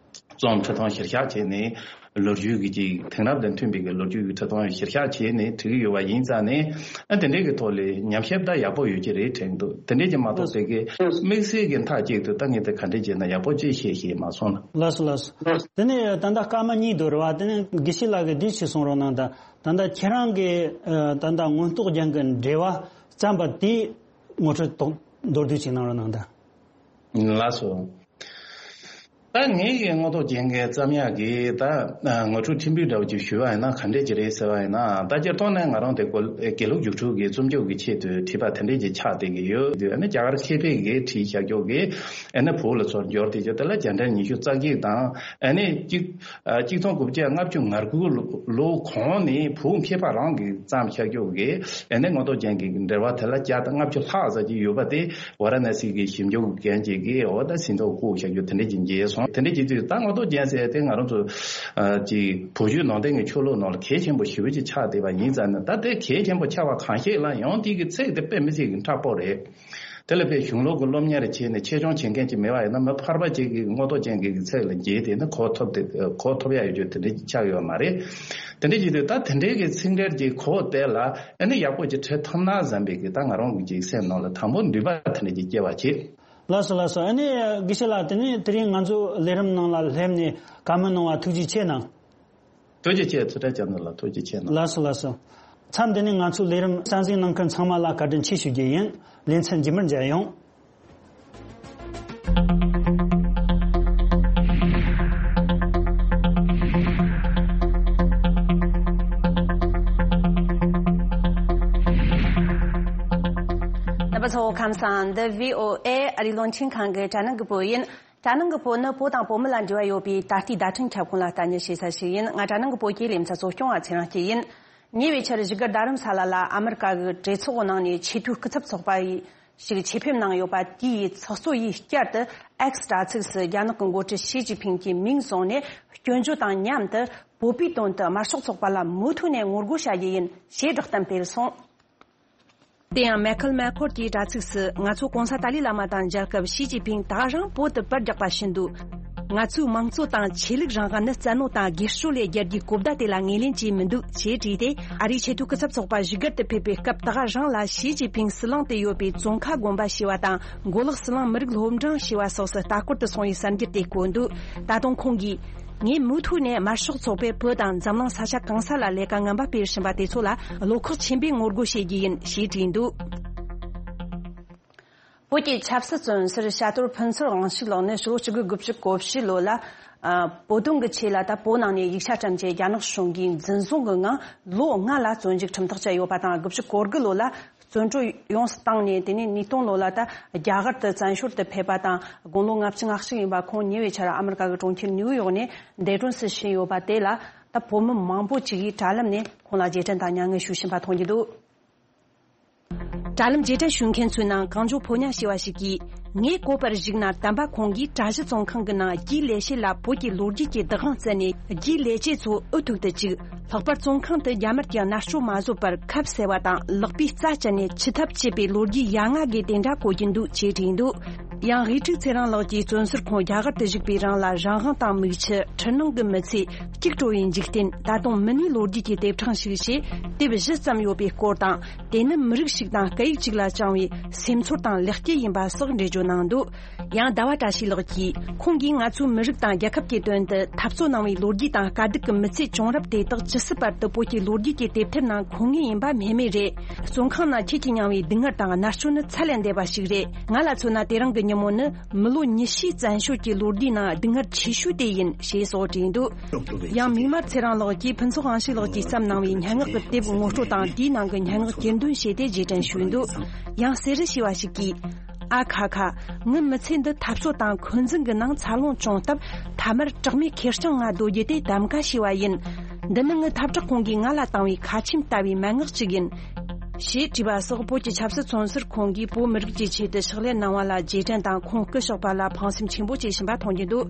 རྩོམ་ཁྲི་སྟོང་གཞིར་བཞག་བྱས་ནས་ལོ་རྒྱུས་ཀྱི་ཅིག་དེང་རབས་དང་མཐུན་པའི་གི་ལོ་རྒྱུས་ཀྱི་ཁྲི་སྟོང་གཞིར་བཞག་བྱས་ནས་བྲིས་ཀྱི་ཡོད་པ་ཡིན་ཙང་ནས། ཨ་དེ་འདྲའི་གི་ཐོག་ལ་ཉམས་ཞིབ་ད་ཡག་པོ་ཡོད་ཀྱི་རེད་དྲན་འདུག་དེ་འདྲའི་ཅིག་མ་གཏོགས་པའི་གི་དམིགས་བསལ་གྱི་མཐའ་གཅིག་ཏུ་ད་ངས་དེ་ག་འདྲས་བྱས་ན་ཡག་པོ་ཅིག་ཤེས་ཤེས་མ་སོང་ལ། ལགས་སོ་ལགས་སོ། དེ་ནས་ད་ལྟ་སྐར་མ་གཉིས་འདུག་རེད་བ། དེ་ནས་དགེ་བཤེས་ལགས་ཀྱིས་འདི་ཞིག་གསུང་རོགས་གནང་དང་། ད་ལྟ་ཁྱེད་རང་གིས་ཨ་ད་ལྟ་མངོན་རྟོགས་རྒྱན་གྱི་འགྲེལ་པ་བརྩམས་པ་དེའི་ངོ་སྤྲོད་མདོར་བསྡུས་ཅིག་གནང་རོགས་གནང་དང་། ལགས་སོ། ད་ངས་ཀྱི་མངོན་རྟོགས་རྒྱན་གྱི་བརྩམས་ཡག་གི་ད་ངོ་སྤྲོད་ཕྲན་བུ་འདྲ་བོ་ཅིག་ཞུས་པ་ཡིན་ན་ག་འདྲས་ཅིག་རེད་ཟེར་བ་ཡིན་ན། ད་སྤྱིར་བཏང་ནས་ང་རང་དེ་དགེ་ལུགས་རྒྱུགས་སྤྲོད་ཀྱི་རྩོམ་སྐྱོར་གྱི་ཆེད་དུ་བྲིས་པ་དེ་འདྲས་ཅིག་ཆགས་བསྡད་ཀྱི་ཡོད། དེ་ནི་རྒྱ་གར་ཆོས་དཔེ་གི་བྲིས་བཞག་ཀྱོག་གི་ཨ་ནི་བོད་ལ་ཚུར་འབྱོར་ཏེ་ཀྱོག་དེ་ལ་རྒྱལ་ཕྲན་ཉི་ཤུ་རྩ་གཅིག་དང་། ཨ་ནི་གཅིག་གཅིག་སྟོང་དགུ་བརྒྱ་ལྔ་བཅུ་ང་དགུ་ལོ་གོང་ནས་བོད་མཁས་པ་རང་གིས་བརྩམས་བཞག་ཀྱོག་གི་ཨ་ནི་མངོན་རྟོགས་རྒྱན་གྱི་འགྲེལ་པ་དེ་ལ་བརྒྱ་དང་ལྔ་བཅུ་ལྷག་ཙམ་ཅིག་ཡོད་པ་དེ། ཝཱ་ར་ཎ་སི་གི་ཞིབ་འཇུག་མཁན་ཅིག་གིས་འོ་ད་ཟིན་ཐོ་བཀོད་བཞག་རྒྱུ་དེ་འདྲ་ཅིག་མཇལ་སོང་། དེ་འདྲ་ཅིག་དུས་ད་མངོན་རྟོགས་རྒྱན་ཟེར་དེ་ང་རང་ཚོ་ཨ་ཅིག་བོད་བརྒྱུད་ནང་བསྟན་གྱི་ཆོས་ལུགས་ནང་ལ་གལ་ཆེན་པོ་ཞེ་པོ་ཅིག་ཆགས་བསྡད་པ་ཡིན་ཙང་ནི། ད་དེ་གལ་ཆེན་པོ་ཆགས་པ་གང་ཞིག་ལ་ཡང་དེ་གི་ཚིག་དེ་དཔེ་མི་སྲིད་ཀྱི་མཁྲེགས་པོ་རེད། དེ་ལ་དཔེ་གཞུང་ལུགས་ཀྱི་སློབ་གཉེར་བྱས་ནས་ཆེད་སྦྱོང་བྱེད་མཁན་ཅིག་མེད་པ་ཡིན་ན། མི་ཕལ་པ་ཅིག་གིས་མངོན་རྟོགས་རྒྱན་གྱི་ཚིག་ལ་མཇལ་དེ་ནི་གོ་ཐུབ་དེ་གོ་ཐུབ་ཡ་ཡོད་རྒྱུ་དེ་འདྲ་ཅིག་ཆགས་ཡོད་མ་རེད། དེ་འདྲ་ཅིག་དུས་ད་དེ་འདྲའི་གི་ཚིག་འགྲེལ་གྱི་གོ་དེ་ལ་ཨ་ནི་ཡག་པོ་ཅིག་བྲིས་ཐུབ་ན་བསམ་པའི་གི་ད་ང་རང་གི་ཅིག་སེམས་ནང་ལ་དང་པོ་འདུན་པ་དེ་འདྲ་ཅིག་སྐྱེ་བ་བྱེད། ལགས་སོ་ལགས་སོ། ཨ་ནི་དགེ་བཤེས་ལགས། དེ་ནས་དེ་རིང་ང་ཚོ་ལས་རིམ་ནང་ལ་སླེབས་ནས་བཀའ་མོལ་གནང་བ་ཐུགས་རྗེ་ཆེ་གནང་། ཐུགས་རྗེ་ཆེ། ཚུལ་ཁྲིམས་རྒྱ་མཚོ་ལགས་ཐུགས་རྗེ་ཆེ་གནང་། ལགས་སོ་ལགས་སོ། མཚམས་འདི་ནས་ང་ཚོའི་ལས་རིམ་གསན་གཟིགས་གནང་མཁན་ཚང་མ་ལ་བཀའ་དྲིན་ཆེ་ཞུ་རྒྱུ་ཡིན། ལེ་ཚན་རྗེས་མར་མཇལ་ཡོང་། རྣམ་པ་ཚོ་ཁམས་བཟང་། འདི་བྷི་ཨོ་ཨེ་ཨ་རིའི་རླུང་འཕྲིན་ཁང་གི་དྲ་ནང་གི་བོད་ཡིན། དྲ་ནང་གི་བོད་ནི་བོད་དང་བོད་མི་ལ་འབྲེལ་བ་ཡོད་པའི་ད་ལྟའི་བརྡ་འཕྲིན་ཁྱབ་ཁོངས་ལ་ལྟ་ཉན་བྱེད་ས་ཞིག་ཡིན། ང་དྲ་ནང་གི་བོད་ཀྱི་ལེ་ཚན་གཙོ་སྐྱོང་བ་ཚེ་རིང་སྐྱིད་ཡིན། ཉེ་བའི་ཆར་བཞུགས་སྒར་རྡ་རམ་ས་ལ་ལ་ཨ་མི་རི་ཀ་གི་གྲོས་ཚོགས་ནང་ནས་ཆེས་མཐོའི་སྐུ་ཚབ་ཚོགས་པ་ཡི་ཞིག་ཆེད་ཕེབས་གནང་ཡོད་པ་དེའི་ཚོགས་གཙོ་ཡིས་བསྐྱར་དུ་ཨེགས་དྲ་ཚིགས་སུ་རྒྱ་ནག་གི་འགོ་ཁྲིད་ཞི་ཅིན་ཕིང་གི་མིང་བཟུང་ནས་སྐྱོན་བརྗོད་དང་མཉམ་དུ་བོད་པའི་དོན་དུ་དམར་ཤོག་ཚོགས་པ་ལ་མུ་མཐུད་ནས་ངོ་རྒོལ་བྱ་རྒྱུ་ཡིན་ཞེས་བསྒྲགས་གཏམ་སྤེལ་སོང་། དེ་ཡང་མེ་ཁལ་མེ་ཁོར་གྱི་དྲ་ཚིགས་སུ། ང་ཚོ་གོང་ས་ཏཱ་ལའི་བླ་མ་དང་མཇལ་སྐབས་ཞི་ཅིན་ཕིང་ད་ག་རང་བོད་དུ་པར་རྒྱག་པ་བཞིན་དུ། ང་ཚོའི་མང་གཙོ་དང་ཆོས་ལུགས་རང་དབང་ནི་བཙན་གནོན་དང་སྒེར་གཅོད་ལས་རྒྱལ་རྒྱུའི་གོ་བརྡ་དེ་ལ་ངོས་ལེན་བྱས་མི་འདུག་ཅེས་བྲིས་ཏེ། ཨ་རིའི་ཆེས་མཐོའི་སྐུ་ཚབ་ཚོགས་པ་བཞུགས་སྒར་དུ་ཕེབས་པའི་སྐབས་ད་ག་རང་ལ་ཞི་ཅིན་ཕིང་སྲིད་གླིང་དུ་ཡོད་པའི་ཙོང་ཁ་དགོན་པ་ཞེས་པ་དང་། མགོ་ལོག་སྲིད་གླིང་མི་རིགས་སློབ་འབྲིང་ཞེས་པ་སོགས་སུ་ལྟ་སྐོར་དུ་སོང་བའི་གསར་འགྱུར་དེ་བཀོད་འདུག་ད་དུང་ཁོང་གིས། ངས་མུ་མཐུད་ནས་དམར་ཤོག་ཚོགས་པས་བོད་དང་འཛམ་གླིང་ས་ཆ་གང་ས་ལ་ལས་ཀ་ངན་པ་སྤེལ་བཞིན་པ་དེ་ཚོ་ལ་བློ་ཁོག་ཆེན་པོས་ངོ་རྒོལ་བྱེད་རྒྱུ་ཡིན་ཞེས་བྲིས་འདུག་བོད་ཀྱི་ཆབ་སྲིད་བཙོན་ཟུར་བྱ་དོར་ཕུན་ཚོགས་དབང་ཕྱུག་ལགས་ནི་ཕྱི་ལོ་གཅིག་དགུ་དགུ་བཅུ་གོ་བཞི་ལོ་ལ། ཨ། བོད་དོན་གྱི་ཆེད་ལ་ད་བོད་ནང་ནས་ཡིག་ཆ་བཀྲམ་རྗེས་རྒྱ་ནག་གཞུང་གིས་འཛིན་བཟུང་གི་ངང་ལོ་ལྔ་ལ་བཙོན་འཇུག་ཁྲིམས་ཐག་བཅད་ཡོད་པ་དང་། དགུ་བཅུ་གོ་དགུ་ལོ་ལ། བཙོན་གྲོལ་ཡོངས་སུ་བཏང་ནས། དེ་ནས་ཉིས་སྟོང་ལོ་ལ་ད་རྒྱ་གར་དུ་བཙན་བྱོལ་དུ་ཕེབས་པ་དང་། དགུང་ལོ་ལྔ་བཅུ་ང་གཅིག་ཡིན་པ་ཁོང་ཉེ་བའི་ཆར་ཨ་མི་རི་ཀ་གི་གྲོང་ཁྱེར་ནིའུ་ཡོག་ནས་འདས་གྲོངས་སུ་ཕྱིན་ཡོད་པ་དེ་ལ་ད་བོད་མི་མང་པོ་ཅིག་གིས་དྲ་ལམ་ནས་ཁོང་ལ་རྗེས་དྲན་དང་མྱ་ངན་ཞུ་བཞིན་པ་མཐོང་རྒྱུ་འདུག་དྲ་ལམ་རྗེས་དྲན་ཞུ་མཁན་ཚོའི་ནང་གངས་ལྗོངས་ཕོ་ཉ་ཞེས་པ་ཞིག་གིས། ངས་གོ་བར་གཞིགས་ན། དམ་པ་ཁོང་གིས་གྲྭ་བཞི་བཙོན་ཁང་གི་ནང་རྒྱུའི་ལས་བྱེད་ལ་བོད་ཀྱི་ལོ་རྒྱུས་ཀྱི་བདག་དབང་བསྩལ་ནས། རྒྱུའི་ལས་བྱེད་ཚོ་འུ་ཐུག་ཏུ་བཅུག་ལྷག་པར་བཙོན་ཁང་དུ་རྒྱ་དམར་གྱི་མནར་གཅོད་མ་བཟོད་པར་ཁབ་བསལ་བ་དང་། ལག་པའི་རྩ་བཅད་ནས་འཆི་ཐབས་བྱེད་པའི་ལོ་རྒྱུས་ཡ་ང་གི་དེ་འདྲ་གོ་རྒྱུ་འདུག་ཅེས་བྲིས་འདུག་ཡང་དབུས་ཕྲུག་ཚེ་རིང་ལགས་ཀྱིས། བཙོན་ཟུར་ཁོང་རྒྱ་གར་དུ་བཞུགས་པའི་རིང་ལ་རང་དབང་དང་མིག་ཆུ། འཕྲུལ་སྣང་གི་མི་ཚེ། གཅིག་གྲོལ་བའི་འཇིག་རྟེན། ད་དུང་མི་སྣའི་ལོ་རྒྱུས་ཀྱི་དེབ་ཕྲེང་ཞིག་ཞེས་དེབ་བཞི་ཙམ་ཡོད་པའི་སྐོར་དང་། དེ་ནི་མི་རིགས་ཤིག་དང་སྐད་ཡིག་ཅིག་ལ་བཅངས་པའི་སེམས་ཚོར་དང་ལེགས་སྐྱེས་ཡིན་པ་སོགས་འགྲེལ་བརྗོད་གནང་འདུག་ཡང་ཟླ་བ་བཀྲ་ཤིས་ལགས་ཀྱིས། ཁོང་གིས་ང་ཚོའི་མི་རིགས་དང་རྒྱལ་ཁབ་ཀྱི་དོན་དུ་འཐབ་རྩོད་གནང་བའི་ལོ་རྒྱུས་དང་དཀའ་སྡུག་གི་མི་ཚེ་བྱུང་རབས་དེ་དག་ཇི་སྲིད་བར་དུ་བོད་ཀྱི་ལོ་རྒྱུས་ཀྱི་དེབ་ཐེར་ནང་འཁོད་ངེས་ཡིན་པ་སྨྲས་མེད་རེད། བཙོན་ཁང་ནང་ཁྱེད་ཀྱིས་མྱངས་པའི་སྡུག་བསྔལ་དང་མནར་གཅོད་ནི་ཚད་ལས་འདས་པ་ཞིག་རེད། ང་ལ་མཚོན་ན་དེ་རིང་གི་ཉིན་མོ་ནི་མི་ལོ་ཉི་ཤུའི་བཙན་བྱོལ་གྱི་ལོ་རྒྱུས་ནང་སྡུག་བསྔལ་ཆེ་ཤོས་དེ་ཡིན་ཞེས་སོགས་བྲིས་འདུག་ཡང་མིག་དམར་ཚེ་རིང་ལགས་ཀྱིས་ཕུན་ཚོགས་དབང་ཕྱུག་ལགས་ཀྱིས་བརྩམས་གནང་བའི་སྙན་ངག་གི་དེབ་ངོ་སྤྲོད་དང་། དེའི་ནང་གི་སྙན་ངག་གྱེར་འདོན་བྱས་ཏེ་རྗེས་དྲན་ཞུས་འདུག་ཡང་གསེར་རི་ཞེས་པ་ཞིག་གིས། ཨ་ཁ་ཁ། ངའི་མི་ཚེ་འདི་འཐབ་རྩོད་དང་འཁོན་འཛིན་གྱི་ནང་འཚར་ལོངས་བྱུང་སྟབས། མཐའ་མར་གྲོགས་མེད་ཁེར་རྐྱང་ང་སྡོད་རྒྱུ་དེ་གདམ་ག་བྱས་པ་ཡིན། འདི་ནི་ངའི་འཐབ་གྲོགས་ཁོང་གིས་ང་ལ་བཏང་བའི་ཁ་ཆེམས་ལྟ་བུའི་མན་ངག་ཅིག་ཡིན། ཞེས་བྲིས་པ་སོགས། བོད་ཀྱི་ཆབ་སྲིད་བཙོན་ཟུར་ཁོང་གིས་བོད་མི་རིགས་ཀྱི་ཆེད་དུ་ཕྱག་ལས་གནང་བ་ལ་རྗེས་དྲན་དང་། ཁོང་སྐུ་གཤེགས་པ་ལ་ཕངས་སེམས་ཆེན་པོ་བྱེད་བཞིན་པ་མཐོང་རྒྱུ་འདུག་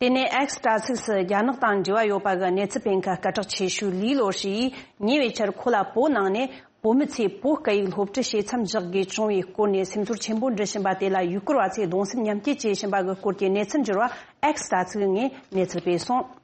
དེ་ནས་X་དྲ་ཚིགས་སུ་རྒྱ་ནག་དང་འབྲེལ་བ་ཡོད་པ་གི་གནས་ཚུལ་སྤེལ་མཁན་སྐད་གྲགས་ཆེ་ཤོས་ལི་ལོ་ཧྲི་ཡིས་ཉེ་བའི་ཆར་ཁོ་ལ་བོད་ནང་ནས་བོད་མི་ཚོས་བོད་སྐད་ཡིག་སློབ་ཁྲིད་བྱེད་མཚམས་འཇོག་དགོས་བྱུང་བའི་སྐོར་ནས་སེམས་ཚོར་ཆེན་པོ་འདྲི་བཞིན་པ་དེ་ལ་ཡུ་གུར་བ་ཚོས་གདུང་སེམས་མཉམ་སྐྱེད་བྱེད་བཞིན་པ་གི་སྐོར་གྱི་གནས་ཚུལ་འབྱོར་བ་X་དྲ་ཚིགས་ནས་གནས་ཚུལ་སྤེལ་སོང་།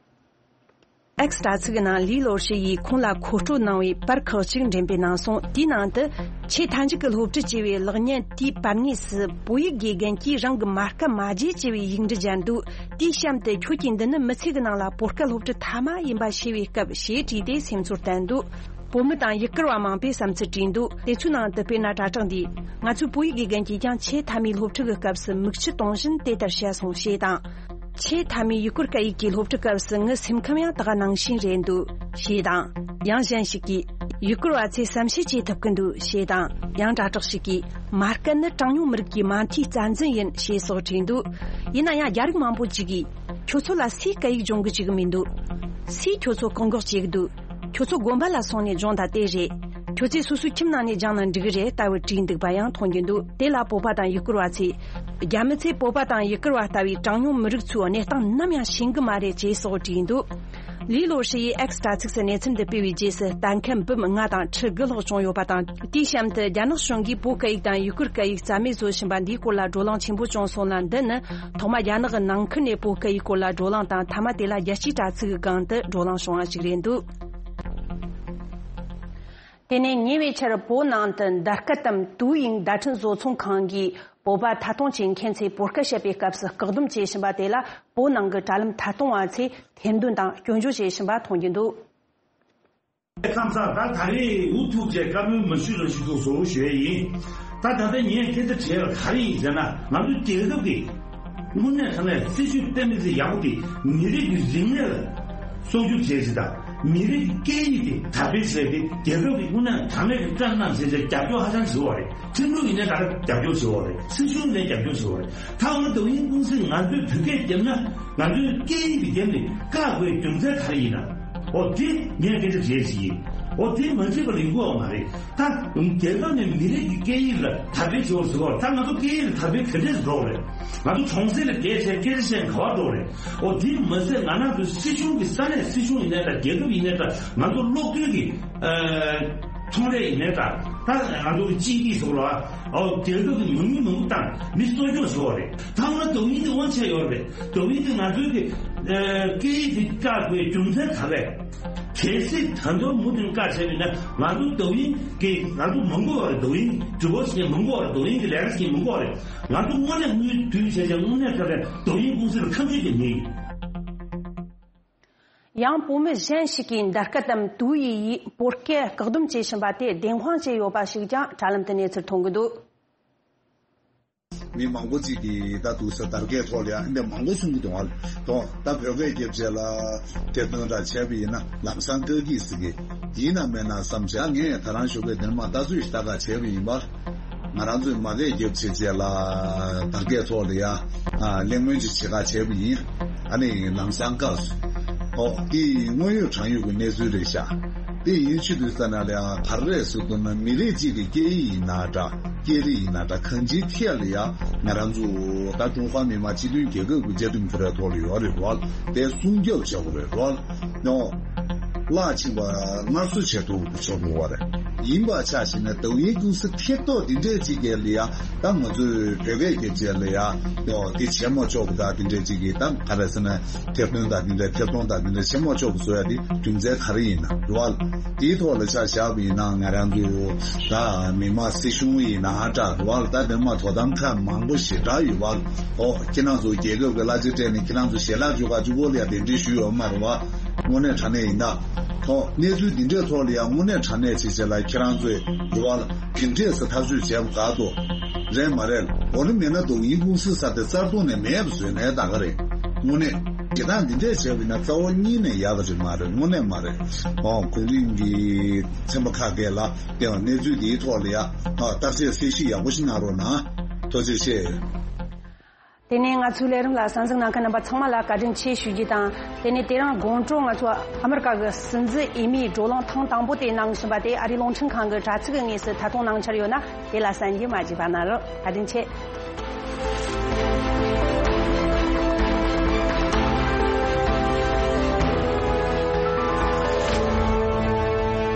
X་དྲ་ཚིགས་ནང་ལི་ལོ་ཧྲི་ཡིས་ཁོང་ལ་མཁོ་སྤྲོད་གནང་བའི་པར་ཁག་ཅིག་འགྲེམས་སྤེལ་གནང་སོང་། དེའི་ནང་དུ། ཆེས་མཐའ་མཇུག་གི་སློབ་ཁྲིད་ཅེས་པའི་ལེགས་བརྙན་དེའི་པར་ངོས་སུ། བོད་ཡིག་དགེ་རྒན་གྱིས་རང་གི་མ་སྐད་མ་བརྗེད་ཅེས་པའི་ཡིག་འབྲུ་སྦྱར་འདུག་དེའི་གཤམ་དུ། ཁྱོད་ཀྱིས་འདི་ནི་མི་ཚེ་གི་ནང་ལ་བོད་སྐད་སློབ་ཁྲིད་མཐའ་མ་ཡིན་པ་ཤེས་པའི་སྐབས། ཞེས་བྲིས་ཏེ་སེམས་ཚོར་བསྟན་འདུག་བོད་མི་དང་ཡུ་གུར་བ་མང་པོས་བསམ་ཚུལ་བྲིས་འདུག་དེ་ཚོའི་ནང་དུ་དཔེར་ན་དྲ་གྲགས་འདིས། ང་ཚོའི་བོད་ཡིག་དགེ་རྒན་གྱིས་ཀྱང་ཆེས་མཐའ་མའི་སློབ་ཁྲིད་ཀྱི་སྐབས་སུ་མིག་ཆུ་གཏོང་བཞིན་དེ་ལྟར་བཤད་སོང་ཞེས་དང་། ཆེས་མཐའ་མའི་ཡུ་གུར་སྐད་ཡིག་གི་སློབ་ཁྲིད་སྐབས་སུ་ངའི་སེམས་ཁམས་ཡང་ད་ག་ནང་བཞིན་རེད་འདུག་ཞེས་དང་། ཡང་གཞན་ཞིག་གིས། ཡུ་གུར་བ་ཚོས་བསམ་ཤེས་བྱེད་ཐུབ་ཀྱི་འདུག་ཞེས་དང་། ཡང་དྲ་གྲགས་ཤིག་གིས། མ་སྐད་ནི་གྲངས་ཉུང་མི་རིགས་ཀྱི་མ་མཐའི་རྩ་འཛིན་ཡིན། ཞེས་སོགས་བྲིས་འདུག་ཡིན་ན་ཡང་རྒྱ་རིགས་མང་པོ་ཅིག་གིས། ཁྱོད་ཚོ་ལ་སུས་སྐད་ཡིག་སྦྱོང་གི་བཅུག་གི་མི་འདུག་སུས་ཁྱོད་ཚོ་བཀག་འགོག་བྱེད་ཀྱི་འདུག་ཁྱོད་ཚོ་དགོན་པ་ལ་སོང་ནས་སྦྱོང་དང་དེ་རེད། ཁྱོད་ཚོས་སོ་སོའི་ཁྱིམ་ནང་ནས་སྦྱངས་ན་འགྲིག་གི་རེད་ལྟ་བུ་བྲིས་འདུག་པ་ཡང་མཐོང་རྒྱུ་འདུག་དེ་ལ་བོད་པ་དང་ཡུ་གུར་བ་ཚོས། རྒྱ་མི་ཚོས་བོད་པ་དང་ཡུ་གུར་བ་ལྟ་བུའི་གྲངས་ཉུང་མི་རིགས་ཚོའི་གནས་སྟངས་ནམ་ཡང་ཤེས་གི་མ་རེད་ཅེས་སོགས་བྲིས་འདུག་ལི་ལོ་ཧྲི་ཡིས་X་དྲ་ཚིགས་སུ་གནས་ཚུལ་འདི་སྤེལ་བའི་རྗེས་སུ་ལྟ་མཁན་འབུམ་ལྔ་དང་ཁྲི་དགུ་ལྷག་བྱུང་ཡོད་པ་དང་། དེའི་གཤམ་དུ་རྒྱ་ནག་གཞུང་གིས་བོད་སྐད་ཡིག་དང་ཡུ་གུར་སྐད་ཡིག་རྩ་མེད་བཟོ་བཞིན་པ་འདིའི་སྐོར་ལ་བགྲོ་གླེང་ཆེན་པོ་བྱུང་སོང་ལ། འདི་ནི་ཐོག་མ་རྒྱ་ནག་གི་ནང་ཁུལ་ནས་བོད་སྐད་ཡིག་སྐོར་ལ་བགྲོ་གླེང་དང་། མཐའ་མ་དེ་ལ་རྒྱལ་སྤྱིའི་དྲ་ཚིགས་ཀྱི་སྒང་དུ་བགྲོ་གླེང་བྱུང་བ་ཞིག་རེད་འདུག་དེ་ནས་ཉེ་བའི་ཆར་བོད་ནང་དུ་འདར་སྐད་དམ་ཏུའུ་ཡིང་བརྡ་འཕྲིན་བཟོ་ཚོང་ཁང་གིས་བོད་པ་ཐད་གཏོང་བྱེད་མཁན་ཚོས་བོད་སྐད་བཤད་པའི་སྐབས་སུ་བཀག་སྡོམ་བྱེད་བཞིན་པ་དེ་ལ་བོད་ནང་གི་དྲ་ལམ་ཐད་གཏོང་བ་ཚོས་ཐེར་འདོན་དང་སྐྱོན་བརྗོད་བྱེད་བཞིན་པ་མཐོང་རྒྱུ་འདུག་ཁམས་ཚང་ད་ད་རེས་འུ་ཐུག་བྱས་བཀའ་མོལ་མ་ཞུས་རང་ཞུ་འདུག་བཟོ་ཞུ་ཡ་ཡིན། ད་ད་ལྟ་ངས་སྐད་ཆ་དྲིས་ཡ་ག་རེ་ཡིན་ཟེར་ན། ང་ཚོའི་རྒྱལ་ཁབ་ཀྱི་དངོས་གནས་དྲང་གནས་སྲིད་ཇུས་གཏན་འབེབས་ཚད་ཡག་པོ་དེ་མི་རིགས་ཀྱི་རིག་གནས་ལ་སྲུང་སྐྱོབ་བྱས་ཟིན་དང་། མི་རིགས་ཀྱི་སྐད་ཡིག་དེ་དར་སྤེལ་བྱས་ཏེ་རྒྱལ་ཁབ་ཀྱི་དངོས་གནས་དྲང་གནས་ཀྱི་བཀའ་གནང་བྱས་ཏེ་རྒྱབ་སྐྱོར་ཧ་ཅང་བྱེད་པ་རེད། ཁྲིམས་ལུགས་ཡིན་ནའི་ད་ལྟ་རྒྱབ་སྐྱོར་བྱེད་པ་རེད། སྲིད་གཞུང་ཡིན་ནའི་རྒྱབ་སྐྱོར་བྱེད་པ་རེད། ད་འོ་ན་抖音公司་ང་ཚོས་བོད་སྐད་བརྒྱབ་ན་ང་ཚོའི་སྐད་ཡིག་དེ་བརྒྱབ་ནས་བཀག་དགོས་རྒྱུ་མཚན་ག་རེ་ཡིན་ན། འོ་དེ་ངས་སྐད་ཆ་དྲིས་ཤིག་ཡིན། འོ་དེ་མ་བརྗེད་པ་ལ་ཡིན་དགོས་པ་མ་རེད། ད་རྒྱལ་ཁབ་ནས་མི་རིགས་ཀྱི་སྐད་ཡིག་ལ་དར་སྤེལ་བྱེད་པར་ཟེར་བ། ད་ང་ཚོ་སྐད་ཡིག་ལ་དར་སྤེལ་ག་འདྲས་འགྲོ་རེད། ང་ཚོ་གྲོང་གསེབ་ལ་བསྡད་བྱས་སྐད་ཆ་བཤད་ག་པར་འགྲོ་རེད། འོ་དེ་མ་ཟད་ང་རང་ཚོའི་སྲིད་གཞུང་གི་ས་གནས་སྲིད་གཞུང་ཡིན་ནའི་འདྲ། རྒྱལ་ཁབ་ཡིན་ནའི་འདྲ། ང་ཚོ་གློག་རྡུལ་གྱི་ཨ་ཚོང་ལས་ཡིན་ནའི་འདྲ། ད་ང་ཚོ་གི་སྤྱི་འཐུས་ཚོ་ལ་ཨོ་རྒྱལ་ཁབ་ཀྱི་མ་དངུལ་མང་པོ་བཏང་མི་གསོ་སྐྱོང་བྱེད་པ་རེད། ད་འོ་ན་抖音་དེ་དབང་ཆ་ཡོད་རེད།抖音་དེ་ང་ཚོའི་གི་ཨ་སྐད་ཡིག་དེ་བཀག་དགོས་རྒྱུ་མཚན་ག་རེ་རེད། གལ་སྲིད་ད་དུང་མུ་མཐུད་བཀག་བྱས་པ་ཡིན་ན་ང་ཚོ་抖音་གི་ང་ཚོ་མ་དགོས་པ་རེད།抖音་直播་བྱེད་མ་དགོས་པ་རེད།抖音་གི་ལས་ཀ་བྱེད་མ་དགོས་པ་རེད། ང་ཚོ་དངོས་གནས་དངུལ་བསྡུས་བྱས་བྱས་དངོས་གནས་ཁ་ལས་抖音公司་ལ་ཁ་མཆུ་རྒྱག་ཉེན་ཡིན། ཡང་བོད་མི་གཞན་ཞིག་གིས་འདར་སྐད་དམ་ཏུའུ་ཡི་ཡིས་བོད་སྐད་བཀག་སྡོམ་བྱེད་བཞིན་པ་དེ་བདེན་དཔང་བྱས་ཡོད་པ་ཞིག་ཀྱང་དྲ་ལམ་དུ་གནས་ཚུལ་མཐོང་གི་འདུག་མི་མང་པོ་ཅིག་གིས་ད་འདུག་སེ་དར་རྒྱས་ཐོག་ལ་ཡང་འདི་མང་པོ་གསུང་གི་འདུག་ཨ། ད་བོད་སྐད་རྒྱབ་བྱས་ལ་ཐེར་འདོན་འདྲ་བྱས་པ་ཡིན་ན་ལམ་སང་བཀག་གི་ཟེར་གི་ཡིན་ན་མེད་ན་བསམ་བྱས། ངས་ད་རང་ཞོགས་པའི་འདིར་མ་ལྟ་ཚུལ་ཞིག་ལྟ་ག་བྱས་པ་ཡིན་པ། ང་རང་ཚོས་མ་སྐད་རྒྱབ་བྱས་བྱས་ལ་དར་རྒྱས་ཐོག་ལ་ཡ་གླེང་མོལ་ཅིག་བྱེད་ག་བྱས་པ་ཡིན། ཨ་ནི་ལམ་སང་བཀག་སོང་། ཨོ་དེ་དངོས་ཡོད་དྲང་ཡོད་ཀྱི་གནས་ཚུལ་རེད་ཤག་དེ་ཡིན་ཕྱིར་དུས་ཙ་ན་ལ་ཡང་ག་རེ་རེད་ཟེར་དུས་ན། མི་རིགས་གཅིག་གི་སྐད་ཡིག་ཡིན་ན་འདྲ། སྐད་རིགས་ཡིན་ན་འདྲ། གང་ཅིའི་ཐད་ལ་ཡང་ང་རང་ཚོ་ད་ཀྲུང་ཧྭ་མི་དམངས་སྤྱི་མཐུན་རྒྱལ་ཁབ་ཀྱི་བཅའ་ཁྲིམས་ཀྱི་ར་ཐོག་ལ་ཡོད་རེད་རོ། དེ་སྲུང་སྐྱོབ་བྱ་དགོས་རེད་རོ། ཡང་བརླག་ཕྱིན་པ་སྔར་གསོ་བྱེད་ཐུབ་ཆོག་གི་རེད། ཡིན་པ་ཆ་བཞག་ན་抖音公司་ཐེབས་ཐོག་འདི་འདྲས་ཅིག་གི་ལ་ཡང་ད་ང་ཚོས་བོད་སྐད་སྐད་ཆ་ལ་ཡང་ཡང་དེ་བྱེད་མ་ཆོག་གི། ད་འདི་འདྲས་ཅིག་གི་ད་ག་རེ་ཟེར་ན་ཐེར་འདོན་ད་འདི་འདྲས་ཐེར་གཏོང་ད་འདི་འདྲས་བྱེད་མ་ཆོག་གི་བཟོ་ཡ་དེ་རྒྱུ་མཚན་ག་རེ་ཡིན་ན་རེད་བ། དེའི་ཐོག་ལ་ཆ་བཞག་པ་ཡིན་ན་ང་རང་ཚོ་ད་མི་དམངས་སྲིད་གཞུང་ཡིན་ན་འདྲ་རེད་བ། ད་དེ་མ་དོ་དམ་ཁག་མང་པོ་ཞེ་དྲག་ཡོད་བ། ཨོ་ཁྱེད་རང་ཚོ་རྒྱལ་ཁབ་ཀྱི་གླ་ཆ་སྤྲད་ནས་ཁྱེད་རང་ཚོ་ཞལ་ལག་འཇོག་ག་འཇུག་གོ་ལ་ཡ་གདན་འདྲེན་ཞུས་ཡོད་མ་རེད་བ། དངོས་གནས་དྲང་གནས་ཡིན་ད། ཐོག་གནས་ཚུལ་འདི་འདྲའི་ཐོག་ལ་ཡང་དངོས་གནས་དྲང་གནས་བྱེད་བྱེད་ལ་ཁྱེད་རང་ཚོས་རེ་བ་ལ་ག་འདྲས་སེ་ཐག་གཅོད་བྱས་པ་དགའ་ཏོ། རེད་མ་རེད། འོ་ན་མེད་ན་抖音公司་ས་དེ་རྩ་དོན་ནས་མེད་པ་བཟོས་ནས་ད་ག་རེད། དངོས་གནས། བྱེད་སྟངས་འདི་འདྲས་བྱས་པ་ཡིན་ན་རྩ་བ་ཉིད་ནས་ཡག་གི་རེད་མ་རེད། དངོས་གནས་མ་རེད། ཨོ་གོང་རིམ་གྱི་ཚན་པ་ཁག་གིས་ལ་དེ་བ་གནས་ཚུལ་འདིའི་ཐོག་ལ་ཡ་ཨ་བརྟག་དཔྱད་གསལ་བཤད་ཡག་པོ་ཞིག་གནང་རོགས་གནང་། ཐུགས་རྗེ་ཆེ། དེ་ནས་ང་ཚོའི་ལས་རིམ་ལ་གསན་གཟིགས་གནང་མཁན་རྣམ་པ་ཚང་མ་ལ་བཀའ་དྲིན་ཆེ་ཞུ་རྒྱུ་དང་། དེ་ནས་དེ་རིང་དགོང་དྲོ་ང་ཚོ་ཨ་མི་རི་ཀ་གི་སྲིད་འཛིན་འོས་མིའི་བགྲོ་གླེང་ཐེངས་དང་པོ་དེ་གནང་བཞིན་པ་དེ་ཨ་རིའི་རླུང་འཕྲིན་ཁང་གི་དྲ་ཚིགས་ཀྱི་ངོས་སུ་ཐད་གཏོང་གནང་འཆར་ཡོད་ན། དེ་ལ་གསན་རྒྱུ་མ་བརྗེད་པ་གནང་རོགས། བཀའ་དྲིན་ཆེ།